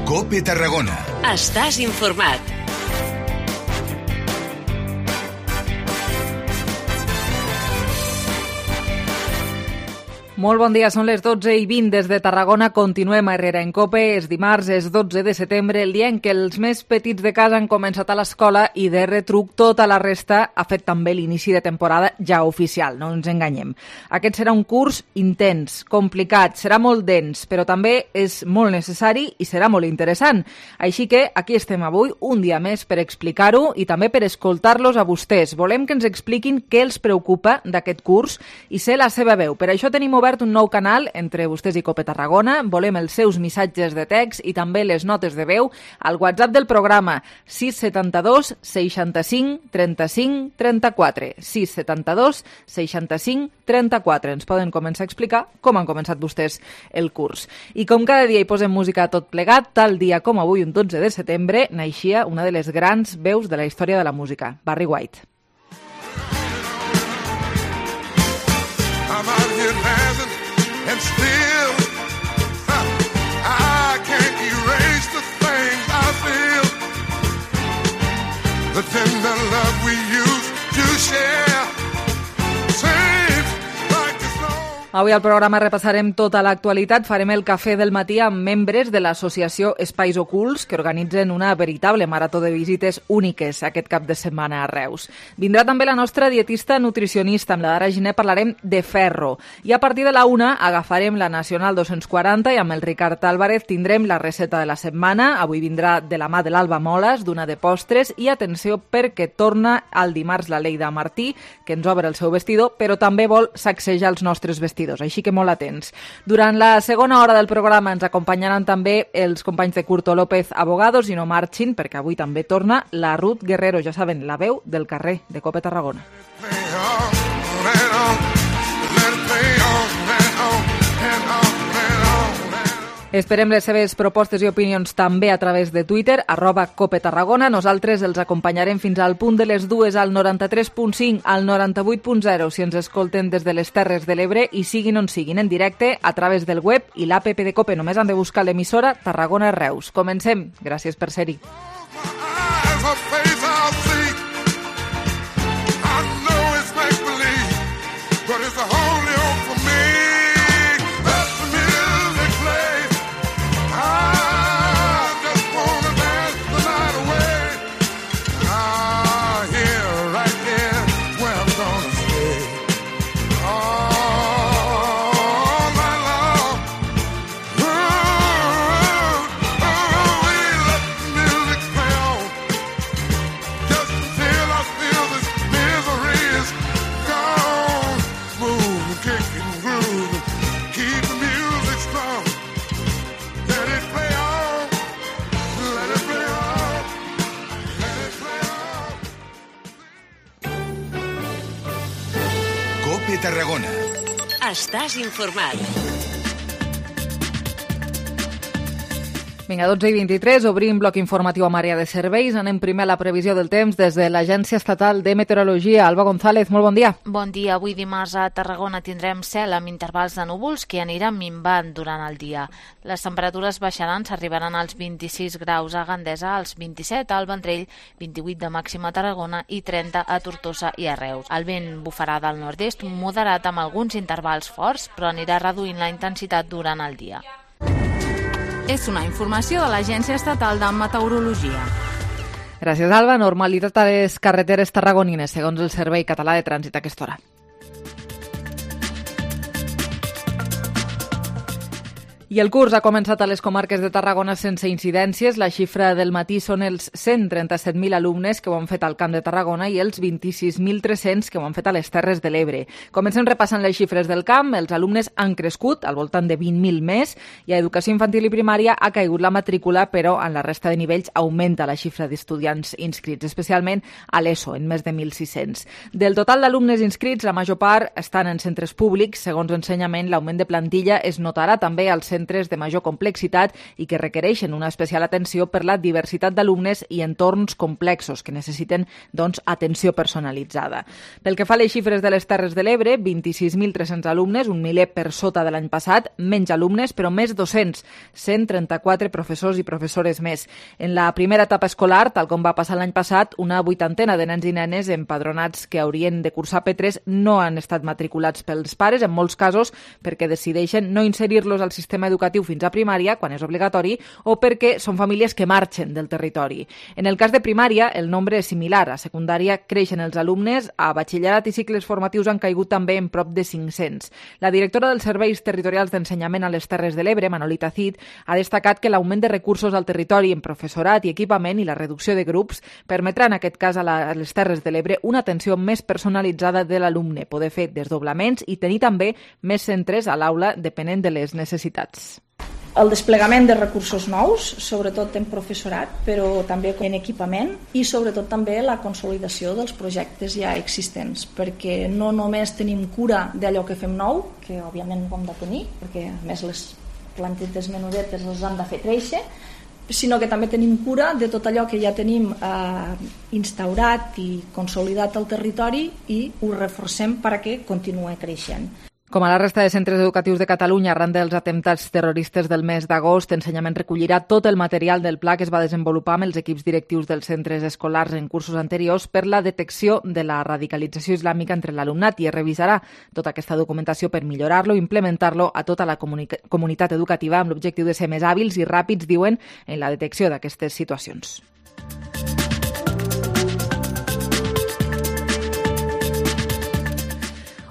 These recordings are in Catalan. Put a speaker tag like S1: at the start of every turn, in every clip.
S1: COPE Tarragona.
S2: Estàs informat.
S3: Molt bon dia, són les 12:20 des de Tarragona. Continuem a Herrera en COPE. És dimarts, és 12 de setembre, el dia en què els més petits de casa han començat a l'escola i de retruc tota la resta ha fet també l'inici de temporada ja oficial, no ens enganyem. Aquest serà un curs intens, complicat, serà molt dens, però també és molt necessari i serà molt interessant. Així que aquí estem avui, un dia més, per explicar-ho i també per escoltar-los a vostès. Volem que ens expliquin què els preocupa d'aquest curs i ser la seva veu. Per això tenim obert un nou canal entre vostès i COPE Tarragona. Volem els seus missatges de text i també les notes de veu al WhatsApp del programa 672 65 35 34. 672 65 34. Ens poden començar a explicar com han començat vostès el curs. I com cada dia hi posem música a tot plegat, tal dia com avui, un 12 de setembre, naixia una de les grans veus de la història de la música, Barry White.
S4: I'm out here dancing and still I can't erase the things I feel. The tender love we used to share seems like it's no.
S3: Avui al programa repassarem tota l'actualitat, farem el cafè del matí amb membres de l'associació Espais Ocults que organitzen una veritable marató de visites úniques aquest cap de setmana a Reus. Vindrà també la nostra dietista nutricionista, amb la Dara Giner parlarem de ferro. I a partir de la 1 agafarem la Nacional 240 i amb el Ricard Álvarez tindrem la recepta de la setmana. Avui vindrà de la mà de l'Alba Moles, d'una de postres, i atenció perquè torna al dimarts la Leida Martí, que ens obre el seu vestidor, però també vol sacsejar els nostres vestidors. Així que molt atents. Durant la segona hora del programa ens acompanyaran també els companys de Curto López Abogados i no marxin, perquè avui també torna la Ruth Guerrero, ja saben, la veu del carrer de COPE Tarragona. Esperem les seves propostes i opinions també a través de Twitter, @COPE Tarragona. Nosaltres els acompanyarem fins al punt de les 2 al 93.5, al 98.0 si ens escolten des de les Terres de l'Ebre i siguin on siguin en directe a través del web i l'APP de COPE. Només han de buscar l'emissora Tarragona Reus. Comencem. Gràcies per ser-hi.
S1: COPE Tarragona.
S2: Estàs informat.
S3: Vinga, 12:23, obrim bloc informatiu amb àrea de serveis. Anem primer a la previsió del temps des de l'Agència Estatal de Meteorologia. Alba González, molt bon dia.
S5: Bon dia. Avui dimarts a Tarragona tindrem cel amb intervals de núvols que aniran minvant durant el dia. Les temperatures baixaran, s'arribaran als 26 graus a Gandesa, als 27 al Vendrell, 28 de màxima a Tarragona i 30 a Tortosa i a Reus. El vent bufarà del nord-est, moderat amb alguns intervals forts, però anirà reduint la intensitat durant el dia.
S6: És una informació de l'Agència Estatal de Meteorologia.
S3: Gràcies, Alba. Normalitat a les carreteres tarragonines, segons el Servei Català de Trànsit a aquesta hora. I el curs ha començat a les comarques de Tarragona sense incidències. La xifra del matí són els 137.000 alumnes que ho han fet al Camp de Tarragona i els 26.300 que ho han fet a les Terres de l'Ebre. Comencem repassant les xifres del camp. Els alumnes han crescut, al voltant de 20.000 més, i a Educació Infantil i Primària ha caigut la matrícula, però en la resta de nivells augmenta la xifra d'estudiants inscrits, especialment a l'ESO, en més de 1.600. Del total d'alumnes inscrits, la major part estan en centres públics. Segons Ensenyament, l'augment de plantilla es notarà també als centres de major complexitat i que requereixen una especial atenció per la diversitat d'alumnes i entorns complexos que necessiten atenció personalitzada. Pel que fa a les xifres de les Terres de l'Ebre, 26.300 alumnes, un miler per sota de l'any passat, menys alumnes, però més docents, 134 professors i professores més. En la primera etapa escolar, tal com va passar l'any passat, una 80 de nens i nenes empadronats que haurien de cursar P3 no han estat matriculats pels pares, en molts casos perquè decideixen no inserir-los al sistema educatiu fins a primària, quan és obligatori, o perquè són famílies que marxen del territori. En el cas de primària, el nombre és similar. A secundària creixen els alumnes, a batxillerat i cicles formatius han caigut també en prop de 500. La directora dels Serveis Territorials d'Ensenyament a les Terres de l'Ebre, Manolita Cid, ha destacat que l'augment de recursos al territori en professorat i equipament i la reducció de grups permetrà en aquest cas a les Terres de l'Ebre una atenció més personalitzada de l'alumne, poder fer desdoblaments i tenir també més centres a l'aula depenent de les necessitats.
S7: El desplegament de recursos nous, sobretot en professorat, però també en equipament i sobretot també la consolidació dels projectes ja existents, perquè no només tenim cura d'allò que fem nou, que òbviament ho hem de tenir, perquè a més les plantetes menudetes les han de fer créixer, sinó que també tenim cura de tot allò que ja tenim instaurat i consolidat al territori i ho reforcem perquè continuï creixent.
S3: Com a la resta de centres educatius de Catalunya, arran dels atemptats terroristes del mes d'agost, Ensenyament recollirà tot el material del pla que es va desenvolupar amb els equips directius dels centres escolars en cursos anteriors per la detecció de la radicalització islàmica entre l'alumnat i es revisarà tota aquesta documentació per millorar-lo i implementar-lo a tota la comunitat educativa amb l'objectiu de ser més hàbils i ràpids, diuen, en la detecció d'aquestes situacions.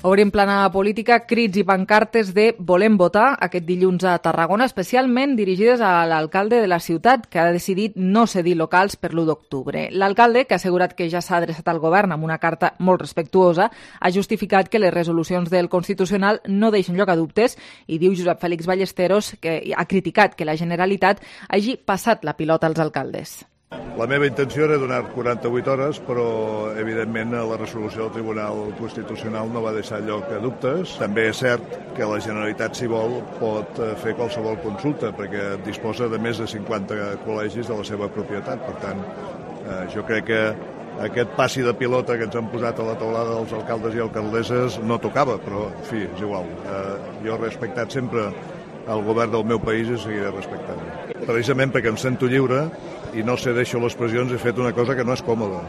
S3: Obrim plana política, crits i pancartes de Volem votar aquest dilluns a Tarragona, especialment dirigides a l'alcalde de la ciutat, que ha decidit no cedir locals per l'1 d'octubre. L'alcalde, que ha assegurat que ja s'ha adreçat al govern amb una carta molt respectuosa, ha justificat que les resolucions del Constitucional no deixen lloc a dubtes i diu Josep Félix Ballesteros que ha criticat que la Generalitat hagi passat la pilota als alcaldes.
S8: La meva intenció era donar 48 hores, però evidentment la resolució del Tribunal Constitucional no va deixar lloc a dubtes. També és cert que la Generalitat, si vol, pot fer qualsevol consulta, perquè disposa de més de 50 col·legis de la seva propietat. Per tant, jo crec que aquest passi de pilota que ens han posat a la taulada dels alcaldes i alcaldesses no tocava, però, en fi, és igual. Jo he respectat sempre el govern del meu país i seguiré respectant. Precisament perquè em sento lliure i no cedeixo les pressions, he fet una cosa que no és còmoda.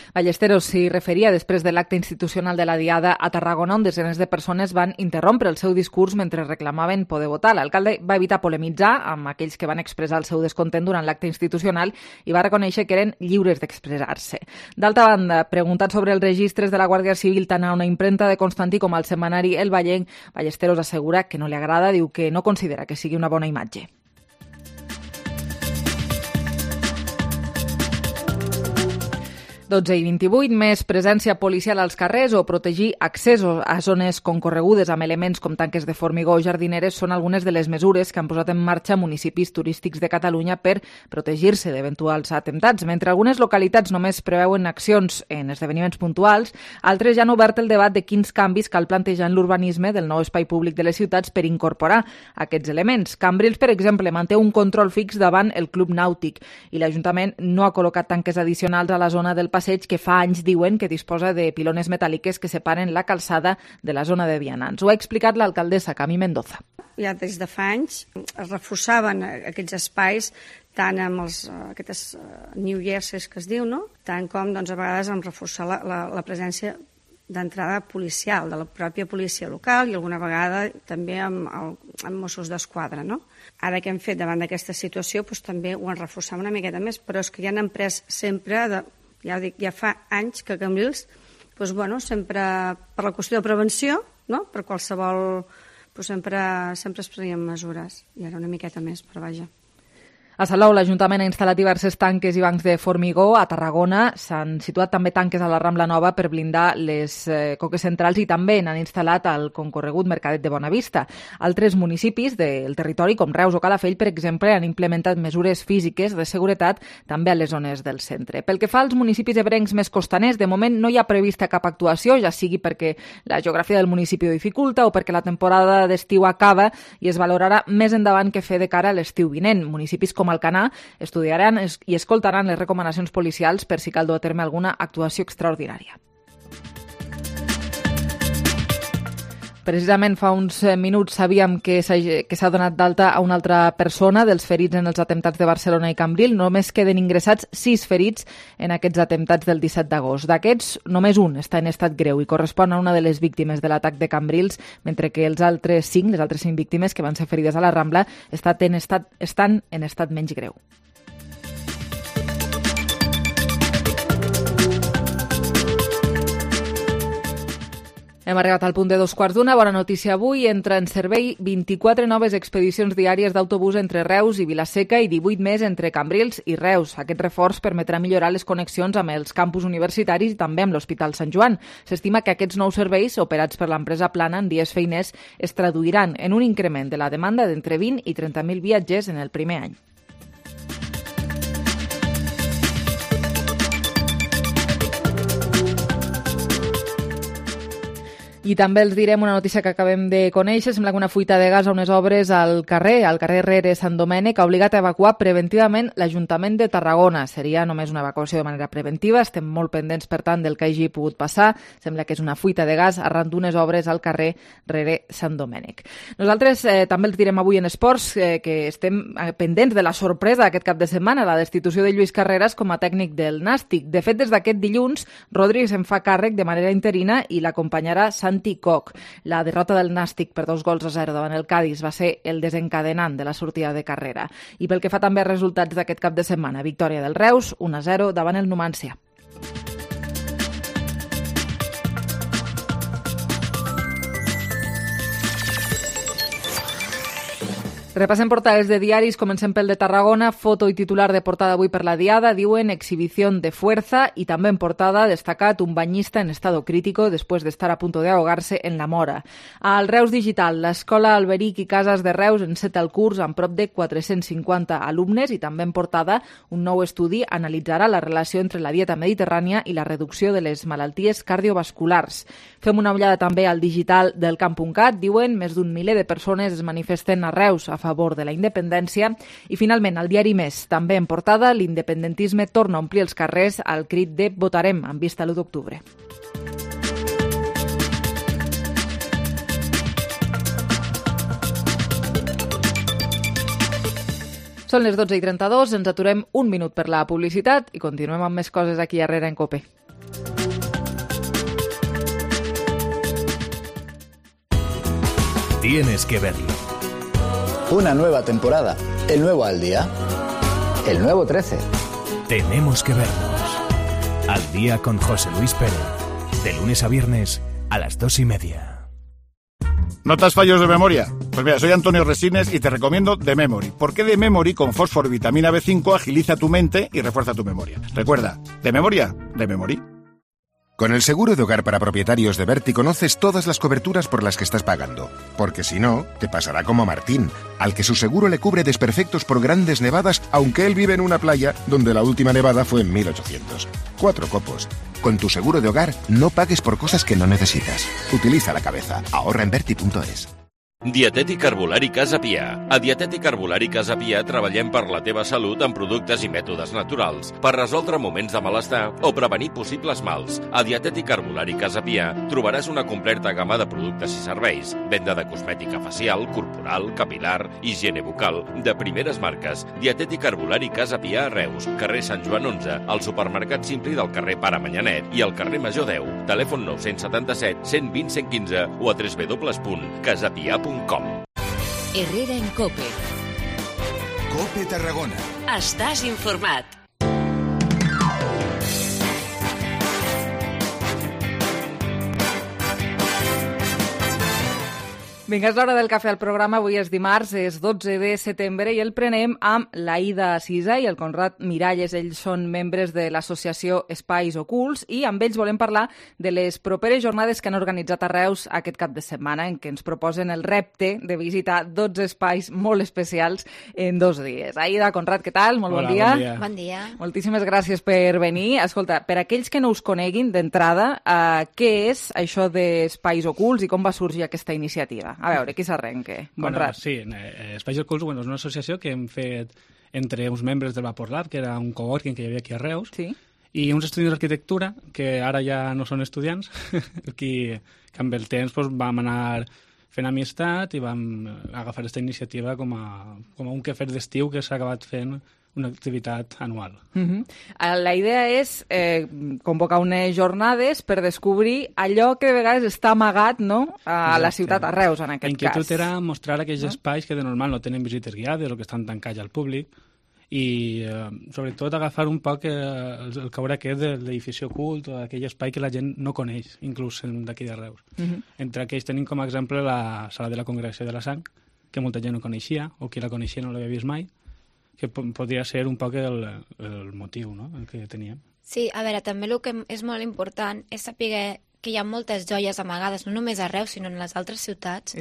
S3: Ballesteros s'hi referia després de l'acte institucional de la Diada a Tarragona, on desenes de persones van interrompre el seu discurs mentre reclamaven poder votar. L'alcalde va evitar polemitzar amb aquells que van expressar el seu descontent durant l'acte institucional i va reconèixer que eren lliures d'expressar-se. D'altra banda, preguntat sobre els registres de la Guàrdia Civil tant a una impremta de Constantí com al setmanari El Vallenc, Ballesteros assegura que no li agrada, diu que no considera que sigui una bona imatge. 12:28, més presència policial als carrers o protegir accessos a zones concorregudes amb elements com tanques de formigó o jardineres són algunes de les mesures que han posat en marxa municipis turístics de Catalunya per protegir-se d'eventuals atemptats. Mentre algunes localitats només preveuen accions en esdeveniments puntuals, altres ja han obert el debat de quins canvis cal plantejar en l'urbanisme del nou espai públic de les ciutats per incorporar aquests elements. Cambrils, per exemple, manté un control fix davant el Club Nàutic i l'Ajuntament no ha col·locat tanques addicionals a la zona del passeig que fa anys diuen que disposa de pilones metàl·liques que separen la calçada de la zona de vianants. Ho ha explicat l'alcaldessa Cami Mendoza.
S9: Ja des de fa anys es reforçaven aquests espais tant amb aquestes New Jerseys que es diu, no? Tant com a vegades amb reforçar la presència d'entrada policial, de la pròpia policia local i alguna vegada també amb Mossos d'Esquadra, no? Ara que hem fet davant d'aquesta situació també ho han reforçat una miqueta més, però és que ja han pres sempre, ja fa anys que Cambrils, sempre per la qüestió de prevenció, no? Per qualsevol, sempre es prenien mesures, i ara una miqueta més, però vaja.
S3: A Salou, l'Ajuntament ha instal·lat diverses tanques i bancs de formigó. A Tarragona s'han situat també tanques a la Rambla Nova per blindar les coques centrals i també n'han instal·lat al concorregut Mercadet de Bonavista. Altres municipis del territori, com Reus o Calafell, per exemple, han implementat mesures físiques de seguretat també a les zones del centre. Pel que fa als municipis ebrencs més costaners, de moment no hi ha prevista cap actuació, ja sigui perquè la geografia del municipi ho dificulta o perquè la temporada d'estiu acaba i es valorarà més endavant què fer de cara a l'estiu vinent. Municipis com Alcanar estudiaran i escoltaran les recomanacions policials per si cal dur a terme alguna actuació extraordinària. Precisament fa uns minuts sabíem que s'ha donat d'alta a una altra persona dels ferits en els atemptats de Barcelona i Cambril. Només queden ingressats 6 ferits en aquests atemptats del 17 d'agost. D'aquests, només un està en estat greu i correspon a una de les víctimes de l'atac de Cambrils, mentre que les altres 5 víctimes que van ser ferides a la Rambla estan en estat menys greu. Hem arribat al punt de 2:15. Bona notícia avui. Entra en servei 24 noves expedicions diàries d'autobús entre Reus i Vila-seca i 18 més entre Cambrils i Reus. Aquest reforç permetrà millorar les connexions amb els campus universitaris i també amb l'Hospital Sant Joan. S'estima que aquests nous serveis, operats per l'empresa Plana en dies feiners, es traduiran en un increment de la demanda d'entre 20 i 30.000 viatgers en el primer any. I també els direm una notícia que acabem de conèixer. Sembla que una fuita de gas a unes obres al carrer Rere Sant Domènec ha obligat a evacuar preventivament l'Ajuntament de Tarragona. Seria només una evacuació de manera preventiva. Estem molt pendents, per tant, del que hagi pogut passar. Sembla que és una fuita de gas arran d'unes obres al carrer Rere Sant Domènec. Nosaltres també els direm avui en esports que estem pendents de la sorpresa aquest cap de setmana, la destitució de Lluís Carreras com a tècnic del Nàstic. De fet, des d'aquest dilluns, Rodri se'n fa càrrec de manera interina i l'acompanyarà Santi Koch. La derrota del Nàstic per 2-0 davant el Cádiz va ser el desencadenant de la sortida de Carrera. I pel que fa també a resultats d'aquest cap de setmana, victòria del Reus, 1-0 davant el Numancia. Repassem portades de diaris, comencem pel de Tarragona, foto i titular de portada avui per la Diada, diuen exhibición de fuerza i també en portada destacat un banyista en estado crítico después de estar a punto de ahogarse en la Mora. Al Reus Digital, l'Escola Alberic i Cases de Reus enceta el curs amb prop de 450 alumnes i també en portada un nou estudi analitzarà la relació entre la dieta mediterrània i la reducció de les malalties cardiovasculars. Fem una ullada també al digital del camp.cat, diuen més d'un miler de persones es manifesten a Reus a favor de la independència. I finalment, al diari Més, també en portada, l'independentisme torna a omplir els carrers al crit de votarem en vista a l'1 d'octubre. Són les 12:32, ens aturem un minut per la publicitat i continuem amb més coses aquí darrere en COPE.
S1: Tienes que verlo.
S10: Una nueva temporada, el nuevo Al Día, el nuevo 13.
S1: Tenemos que vernos. Al Día con José Luis Pérez. De lunes a viernes a las 2:30.
S11: ¿Notas fallos de memoria? Pues mira, soy Antonio Resines y te recomiendo The Memory. Porque The Memory con fósforo y vitamina B5 agiliza tu mente y refuerza tu memoria. Recuerda, ¿de memoria? The Memory.
S12: Con el seguro de hogar para propietarios de Berti conoces todas las coberturas por las que estás pagando. Porque si no, te pasará como a Martín, al que su seguro le cubre desperfectos por grandes nevadas, aunque él vive en una playa donde la última nevada fue en 1800. 4 copos. Con tu seguro de hogar, no pagues por cosas que no necesitas. Utiliza la cabeza. Ahorra en Berti.es.
S13: Dietètic Herbolari Casa Pia. A Dietètic Herbolari Casa Pia treballem per la teva salut amb productes i mètodes naturals per resoldre moments de malestar o prevenir possibles mals. A Dietètic Herbolari Casa Pia trobaràs una completa gamma de productes i serveis. Venda de cosmètica facial, corporal, capilar, higiene bucal, de primeres marques. Dietètic Herbolari Casa Pia a Reus, carrer Sant Joan 11, al supermercat Simpli del carrer Pare Manyanet i al carrer Major 10. Telèfon 977 120 115 o a www.casapia.com.
S2: Herrera en COPE.
S1: COPE Tarragona.
S2: Estàs informat.
S3: Vinga, és l'hora del cafè al programa. Avui és dimarts, és 12 de setembre i el prenem amb l'Aida Cisa i el Conrad Miralles. Ells són membres de l'associació Espais Ocults i amb ells volem parlar de les properes jornades que han organitzat a Reus aquest cap de setmana, en què ens proposen el repte de visitar 12 espais molt especials en 2 dies. Aida, Conrad, què tal? Molt bon dia.
S5: Bon dia.
S3: Moltíssimes gràcies per venir. Escolta, per aquells que no us coneguin d'entrada, què és això d'Espais Ocults i com va sorgir aquesta iniciativa? A veure, qui s'arrenca?
S14: Bueno, sí, Espais Ocults és una associació que hem fet entre uns membres del Vapor Lab, que era un coworking que hi havia aquí a Reus, i uns estudiants d'arquitectura, que ara ja no són estudiants, que amb el temps vam anar fent amistat i vam agafar aquesta iniciativa com a un quefer d'estiu que s'ha acabat fent una activitat anual.
S3: La idea és convocar unes jornades per descobrir allò que de vegades està amagat, no?, a la ciutat, a Reus, en aquest cas.
S14: L'inquietud era mostrar aquells espais que de normal no tenen visites guiades o que estan tancats al públic i, sobretot, agafar un poc el caure aquest de l'edifici ocult o aquell espai que la gent no coneix, inclús d'aquí de Reus. Entre aquells tenim com a exemple la Sala de la Congregació de la Sang, que molta gent no coneixia, o qui la coneixia no l'havia vist mai, que podria ser un poc el motiu, no?, el que teníem.
S15: Sí, a veure, també el que és molt important és saber que hi ha moltes joies amagades, no només a Reus, sinó en les altres ciutats,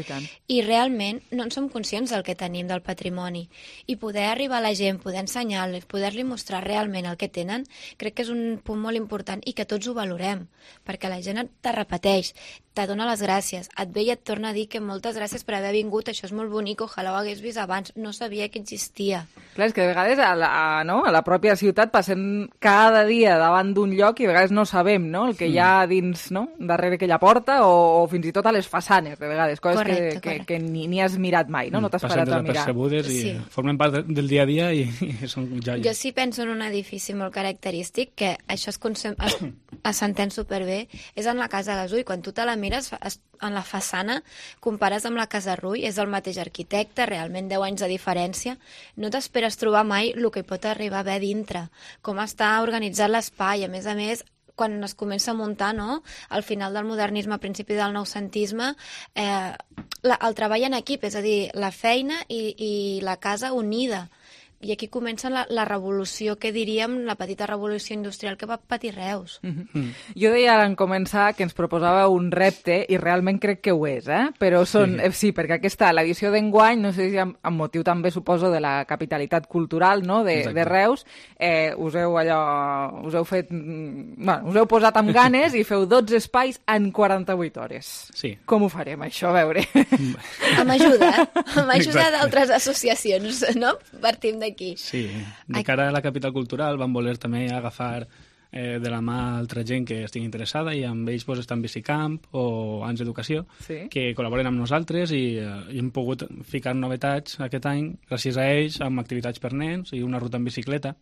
S15: i realment no en som conscients del que tenim, del patrimoni. I poder arribar a la gent, poder ensenyar-los, poder-li mostrar realment el que tenen, crec que és un punt molt important i que tots ho valorem, perquè la gent te repeteix, te dona les gràcies, et ve i et torna a dir que moltes gràcies per haver vingut, això és molt bonic, ojalà ho hagués vist abans, no sabia que existia.
S3: Clar, és que de vegades a la pròpia ciutat passem cada dia davant d'un lloc i a vegades no sabem, no?, el que hi ha dins, no?, darrere aquella porta o fins i tot a les façanes, de vegades, coses que ni has mirat mai, no t'has parat a mirar.
S14: Passen desapercebudes i formen part del dia a dia i són joies.
S15: Jo sí penso en un edifici molt característic, que això s'entén superbé, és en la Casa Gasull. Quan tu te la mires en la façana, compares amb la Casa Rull, és el mateix arquitecte, realment 10 anys de diferència, no t'esperes trobar mai el que hi pot arribar a haver dintre, com està organitzat l'espai, a més, quan es comença a muntar, no?, al final del modernisme, a principi del noucentisme, el treball en equip, és a dir, la feina i la casa unida. I aquí comença la revolució, que diríem, la petita revolució industrial que va patir Reus.
S3: Jo deia en començar que ens proposava un repte, i realment crec que ho és, però sí, perquè aquesta, l'edició d'enguany, no sé si amb motiu també, suposo, de la capitalitat cultural, no?, de Reus, us heu posat amb ganes i feu 12 espais en 48 hores.
S14: Sí.
S3: Com ho farem, això? A veure.
S15: Amb ajuda d'altres associacions, no? Partim d'aquí.
S14: Sí, de cara a la capital cultural vam voler també agafar de la mà altra gent que estigui interessada i amb ells està en Bicicamp o Ans Educació, que col·laboren amb nosaltres i hem pogut ficar novetats aquest any gràcies a ells amb activitats per nens i una ruta en bicicleta.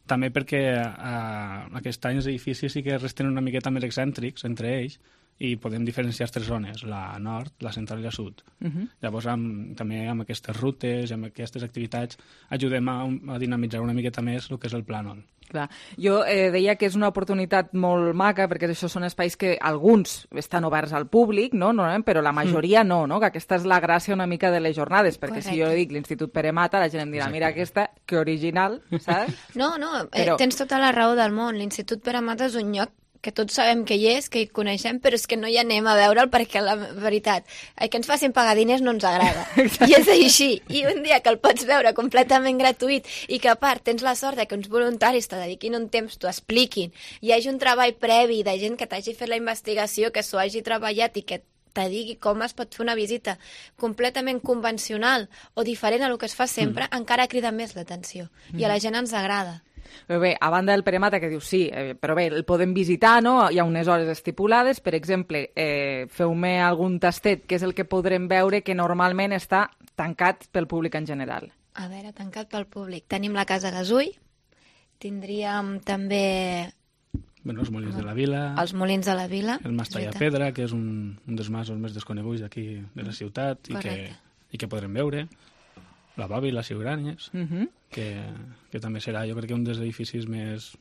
S14: També perquè aquest any els edificis sí que resten una miqueta més excèntrics entre ells i podem diferenciar 3 zones, la nord, la central i la sud. Llavors, també amb aquestes rutes i amb aquestes activitats ajudem a dinamitzar una miqueta més el que és el plànol.
S3: Clar. Jo deia que és una oportunitat molt maca, perquè això són espais que alguns estan oberts al públic, no? Però la majoria no, que aquesta és la gràcia una mica de les jornades, perquè si jo dic l'Institut Pere Mata, la gent em dirà, mira aquesta, que original, saps?
S15: No, tens tota la raó del món. L'Institut Pere Mata és un lloc que tots sabem que hi és, que hi coneixem, però és que no hi anem a veure'l perquè, la veritat, que ens facin pagar diners no ens agrada. I és així. I un dia que el pots veure completament gratuït i que, a part, tens la sort que uns voluntaris te dediquin un temps, t'ho expliquin, hi hagi un treball previ de gent que t'hagi fet la investigació, que s'ho hagi treballat i que te digui com es pot fer una visita completament convencional o diferent a lo que es fa sempre, encara crida més l'atenció. I a la gent ens agrada.
S3: Bé, a banda del Pere Mata, que dius sí, però bé, el podem visitar, no? Hi ha unes hores estipulades. Per exemple, feu-me algun tastet, que és el que podrem veure que normalment està tancat pel públic en general.
S15: A veure, tancat pel públic. Tenim la Casa Gasull, tindríem també...
S14: Els Molins de la Vila.
S15: Els Molins de la Vila.
S14: El Mas Tallapedra, que és un dels masos més desconeguts d'aquí de la ciutat i que podrem veure. la Bovi, la Ciuranyes, que també serà, jo crec que un dels edificis més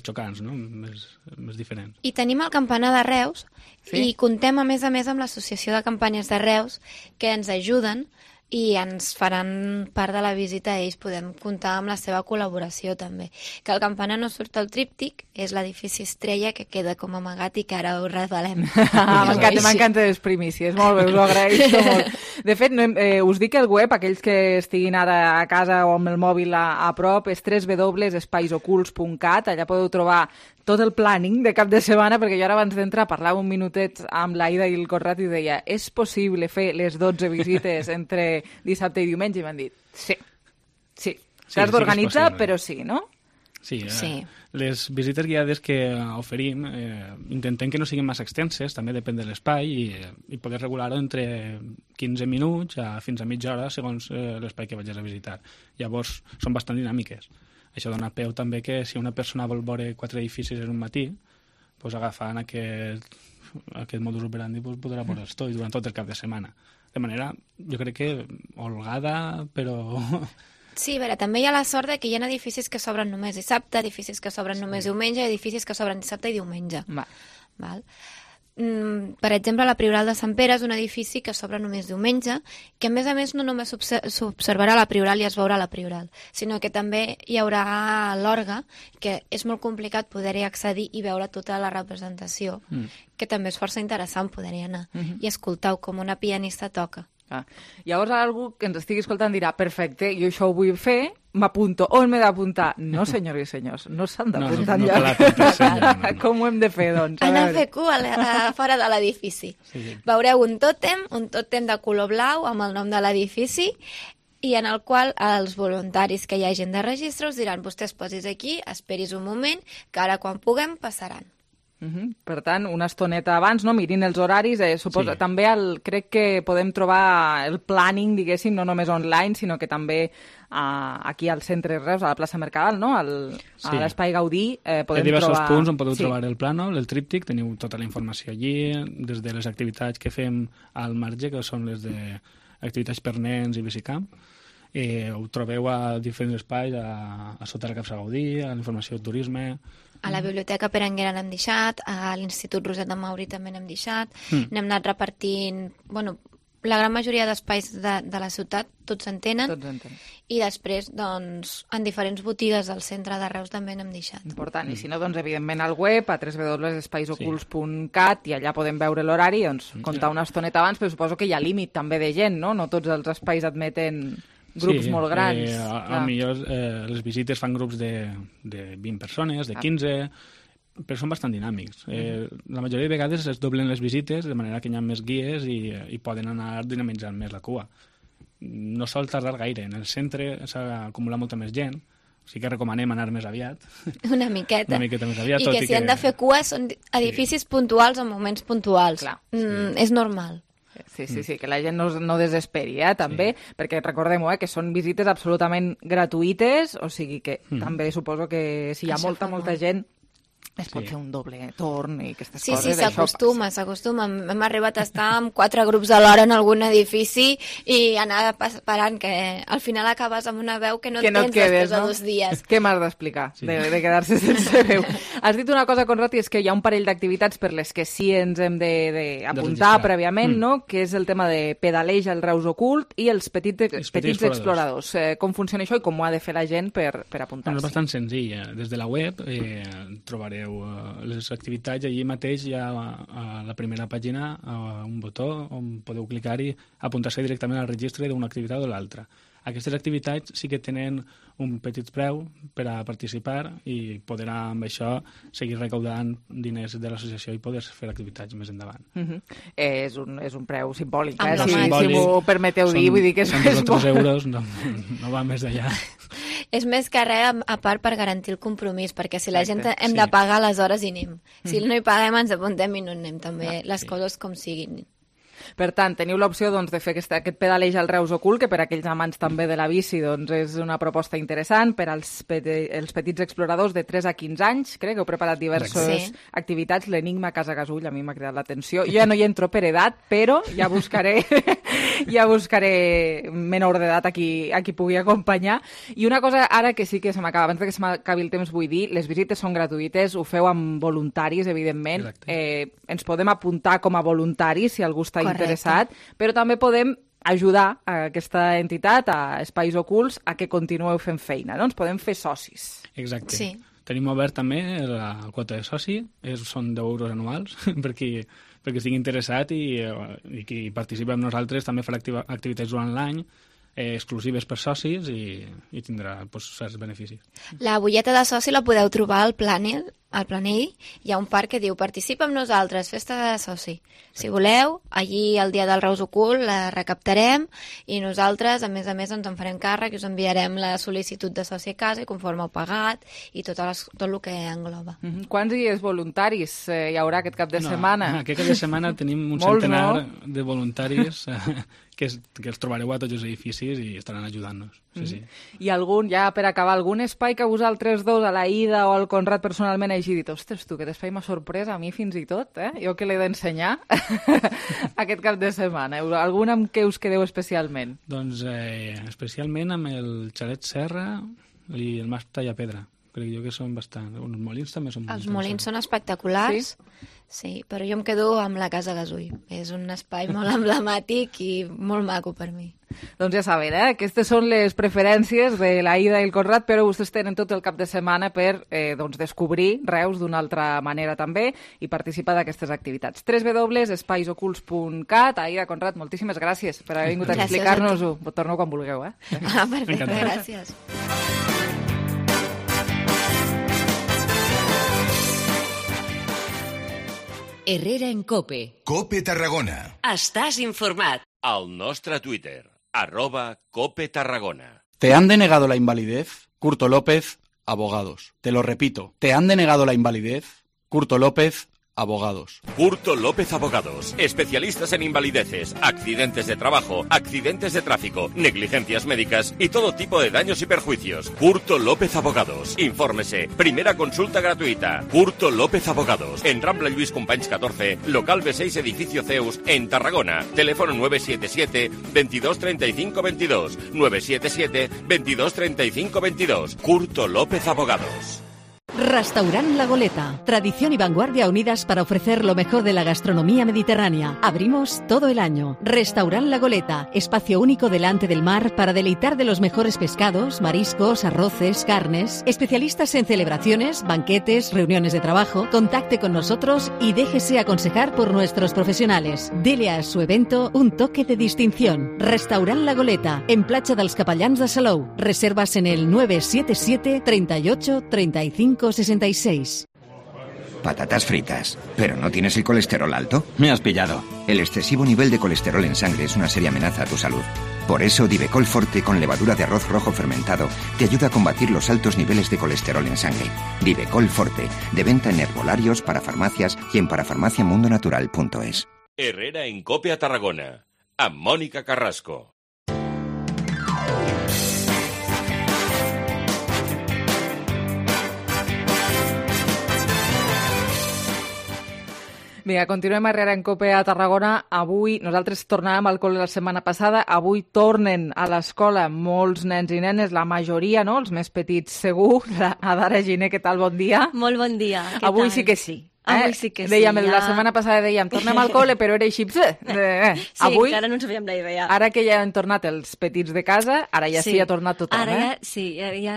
S14: xocants, no? més diferents.
S15: I tenim el campanar de Reus i contem a més amb l'Associació de Campanyes de Reus que ens ajuden i ens faran part de la visita. Ells podem comptar amb la seva col·laboració també. Que el campanar no surt al tríptic, és l'edifici Estrella que queda com amagat i que ara ho revelem.
S3: M'encanta les primícies, molt bé, us ho agraeixo molt. De fet, us dic el web, aquells que estiguin ara a casa o amb el mòbil a prop, és www.espaisocults.cat, allà podeu trobar tot el planning de cap de setmana, perquè jo ara abans d'entrar parlava un minutet amb l'Aida i el Conrad i deia, és possible fer les 12 visites entre dissabte i diumenge? I m'han dit, sí. S'has d'organitzar, però sí, no?
S14: Sí. Les visites guiades que oferim intentem que no siguin massa extenses, també depèn de l'espai, i poder regular-ho entre 15 minuts fins a mitja hora segons l'espai que vagis a visitar. Llavors, són bastant dinàmiques. Això dona peu també que si una persona vol veure 4 edificis en un matí, doncs agafant aquest modus operandi podrà veure'ls tots durant tot el cap de setmana. De manera, jo crec que holgada, però...
S15: Sí, a veure, també hi ha la sort que hi ha edificis que s'obren només dissabte, edificis que s'obren només diumenge, edificis que s'obren dissabte i diumenge. Val. Per exemple, la Prioral de Sant Pere és un edifici que s'obre només diumenge, que a més no només s'observarà la Prioral i es veurà la Prioral, sinó que també hi haurà l'orgue, que és molt complicat poder-hi accedir i veure tota la representació, que també és força interessant poder-hi anar i escoltar com una pianista toca.
S3: Llavors algú que ens estigui escoltant dirà, perfecte, jo això ho vull fer, m'apunto. On m'he d'apuntar? No, senyors i senyors, no s'han d'apuntar enlloc. Com ho hem de fer, doncs?
S15: Han de fer cua fora de l'edifici. Veureu un tòtem de color blau amb el nom de l'edifici, i en el qual els voluntaris que hi hagin de registre us diran, vostès posis aquí, esperis un moment, que ara quan puguem passaran.
S3: Per tant, una estoneta abans, no? Mirin els horaris, suposo. També crec que podem trobar el planning, diguéssim, no només online, sinó que també aquí al centre Reus, a la plaça Mercadal, no? A l'Espai Gaudí, podem trobar...
S14: Hi ha diversos punts on podeu trobar el plànol, el tríptic, teniu tota la informació allí, des de les activitats que fem al marge, que són les d'activitats per nens i bicicamp. Ho trobeu a diferents espais, a sota la capsa Gaudí, a la informació de turisme...
S15: A la Biblioteca Pere Anguera n'hem deixat, a l'Institut Roset de Mauri també n'hem deixat, n'hem anat repartint... La gran majoria d'espais de la ciutat tots en tenen, i després, doncs, en diferents botigues del centre de Reus també n'hem deixat.
S3: Important, i si no, doncs, evidentment, al web, a www.espaisocults.cat, i allà podem veure l'horari, doncs, comptar una estoneta abans, però suposo que hi ha límit també de gent, no? No tots els espais admeten... grups molt grans.
S14: Millor les visites fan grups de 20 persones, de 15, però són bastant dinàmics. La majoria de vegades es doblen les visites, de manera que hi ha més guies i poden anar dinamitzant més la cua. No sol tardar gaire. En el centre s'acumula molta més gent, o sigui que recomanem anar més aviat.
S15: Una miqueta
S14: més aviat.
S15: I que si han de fer cua són edificis puntuals en moments puntuals. És normal.
S3: Sí, que la gent no desesperi, també, perquè recordem-ho, que són visites absolutament gratuïtes, o sigui que també suposo que si hi ha molta gent es pot fer un doble torn i aquestes coses.
S15: Sí, s'acostuma. Hem arribat a estar amb 4 grups alhora en algun edifici i anar parant, que al final acabes amb una veu que no tens després de 2 dies.
S3: Què m'has d'explicar de quedar-se sense veu? Has dit una cosa, Conrad, i és que hi ha un parell d'activitats per les que sí ens hem d'apuntar prèviament, no? Que és el tema de pedaleig al Reus Ocult i els petits exploradors. Com funciona això i com ho ha de fer la gent per apuntar-se?
S14: És bastant senzill. Des de la web trobareu les activitats. Allí mateix hi ha a la primera pàgina un botó on podeu clicar i apuntar-se directament al registre d'una activitat o l'altra. Aquestes activitats sí que tenen un petit preu per a participar i poder amb això seguir recaudant diners de l'associació i poder fer activitats més endavant.
S3: És un preu simbòlic, si m'ho permeteu dir, vull dir que és
S14: molt. Són 2 euros, no va més d'allà.
S15: És més que res, a part, per garantir el compromís, perquè si la gent hem de pagar, aleshores hi anem. Si no hi paguem, ens apuntem i no anem, també, les coses com siguin.
S3: Per tant, teniu l'opció doncs, de fer aquest pedaleig al Reus Ocult, que per aquells amants també de la bici doncs, és una proposta interessant per als petits exploradors de 3 a 15 anys. Crec que heu preparat diverses activitats. L'Enigma Casa Gasull a mi m'ha cridat l'atenció. Jo ja no hi entro per edat, però ja buscaré menor d'edat a qui pugui acompanyar. I una cosa ara que sí que se m'acaba, abans que se m'acabi el temps, vull dir, les visites són gratuïtes, ho feu amb voluntaris, evidentment. Ens podem apuntar com a voluntaris si algú està interessat, però també podem ajudar a aquesta entitat, a Espais Ocults, a que continueu fent feina, no? Ens podem fer socis.
S14: Exacte. Sí. Tenim obert també la quota de soci, són 10 euros anuals, perquè estigui interessat i qui participa amb nosaltres també farà activitats durant l'any, exclusives per socis i tindrà certs beneficis.
S15: La butlleta de soci la podeu trobar al planell. Hi ha un parc que diu participa amb nosaltres, festa de soci. Si voleu, allí el dia del Reus Ocult la recaptarem i nosaltres, a més, ens en farem càrrec i us enviarem la sol·licitud de soci a casa i conforme heu pagat i tot el que engloba.
S3: Quants dies voluntaris hi haurà aquest cap de setmana?
S14: Aquest cap de setmana tenim un centenar de voluntaris que els trobareu a tots els edificis i estaran ajudant-nos. Sí.
S3: I ja per acabar, algun espai que vosaltres dos, a la Ida o al Conrad personalment, hagi dit, ostres, tu, aquest espai m'ha sorprès, a mi fins i tot, jo que l'he d'ensenyar aquest cap de setmana. Algun amb què us quedeu especialment?
S14: Doncs especialment amb el Xalet Serra i el Mas Tallapedra. Crec jo que són bastant... Els molins també són molt
S15: interessants. Els molins són espectaculars, sí, però jo em quedo amb la Casa Gasull. És un espai molt emblemàtic i molt maco per mi.
S3: Doncs ja saben, aquestes són les preferències de la Ida i el Conrad, però vostès tenen tot el cap de setmana per descobrir Reus d'una altra manera també i participar d'aquestes activitats. www.espaisocults.cat. Aida, Conrad, moltíssimes gràcies per haver vingut a explicar-nos-ho. Torno quan vulgueu.
S15: Perfecte, gràcies.
S2: Herrera en COPE.
S16: COPE Tarragona.
S2: Estàs informat.
S13: Al nostre Twitter, @COPE Tarragona.
S17: ¿Te han denegado la invalidez? Curto López, abogados. Te lo repito, ¿te han denegado la invalidez? Curto López, abogados.
S13: Curto López Abogados, especialistas en invalideces, accidentes de trabajo, accidentes de tráfico, negligencias médicas y todo tipo de daños y perjuicios. Curto López Abogados. Infórmese. Primera consulta gratuita. Curto López Abogados. En Rambla Lluís Companys 14, local B6, edificio Zeus, en Tarragona. Teléfono 977 22 35 22. 977 22 35 22. Curto López Abogados.
S18: Restaurant La Goleta. Tradición y vanguardia unidas para ofrecer lo mejor de la gastronomía mediterránea. Abrimos todo el año. Restaurant La Goleta. Espacio único delante del mar para deleitar de los mejores pescados, mariscos, arroces, carnes. Especialistas en celebraciones, banquetes, reuniones de trabajo. Contacte con nosotros y déjese aconsejar por nuestros profesionales. Dele a su evento un toque de distinción. Restaurant La Goleta. En Platja dels Capellans de Salou. Reservas en el 977 38 35 66.
S19: Patatas fritas. ¿Pero no tienes el colesterol alto?
S20: Me has pillado.
S19: El excesivo nivel de colesterol en sangre es una seria amenaza a tu salud. Por eso, Divecol Forte con levadura de arroz rojo fermentado te ayuda a combatir los altos niveles de colesterol en sangre. Divecol Forte, de venta en herbolarios, para farmacias y en parafarmaciamundonatural.es.
S13: Herrera en COPE a Tarragona. Amb Mònica Carrasco.
S3: Vinga, continuem a Herrera en COPE a Tarragona. Avui, nosaltres tornàvem al col·le la setmana passada, avui tornen a l'escola molts nens i nenes, la majoria, no?, els més petits segur. Adara Giner, què tal? Bon dia.
S21: Molt bon dia.
S3: Avui sí que sí.
S21: Avui sí que sí.
S3: Dèiem, la setmana passada dèiem, tornem al col·le, però era així.
S21: Sí,
S3: avui,
S21: encara no ens havíem la idea.
S3: Ara que ja han tornat els petits de casa, ara ja sí ha tornat tothom.
S21: Ara ja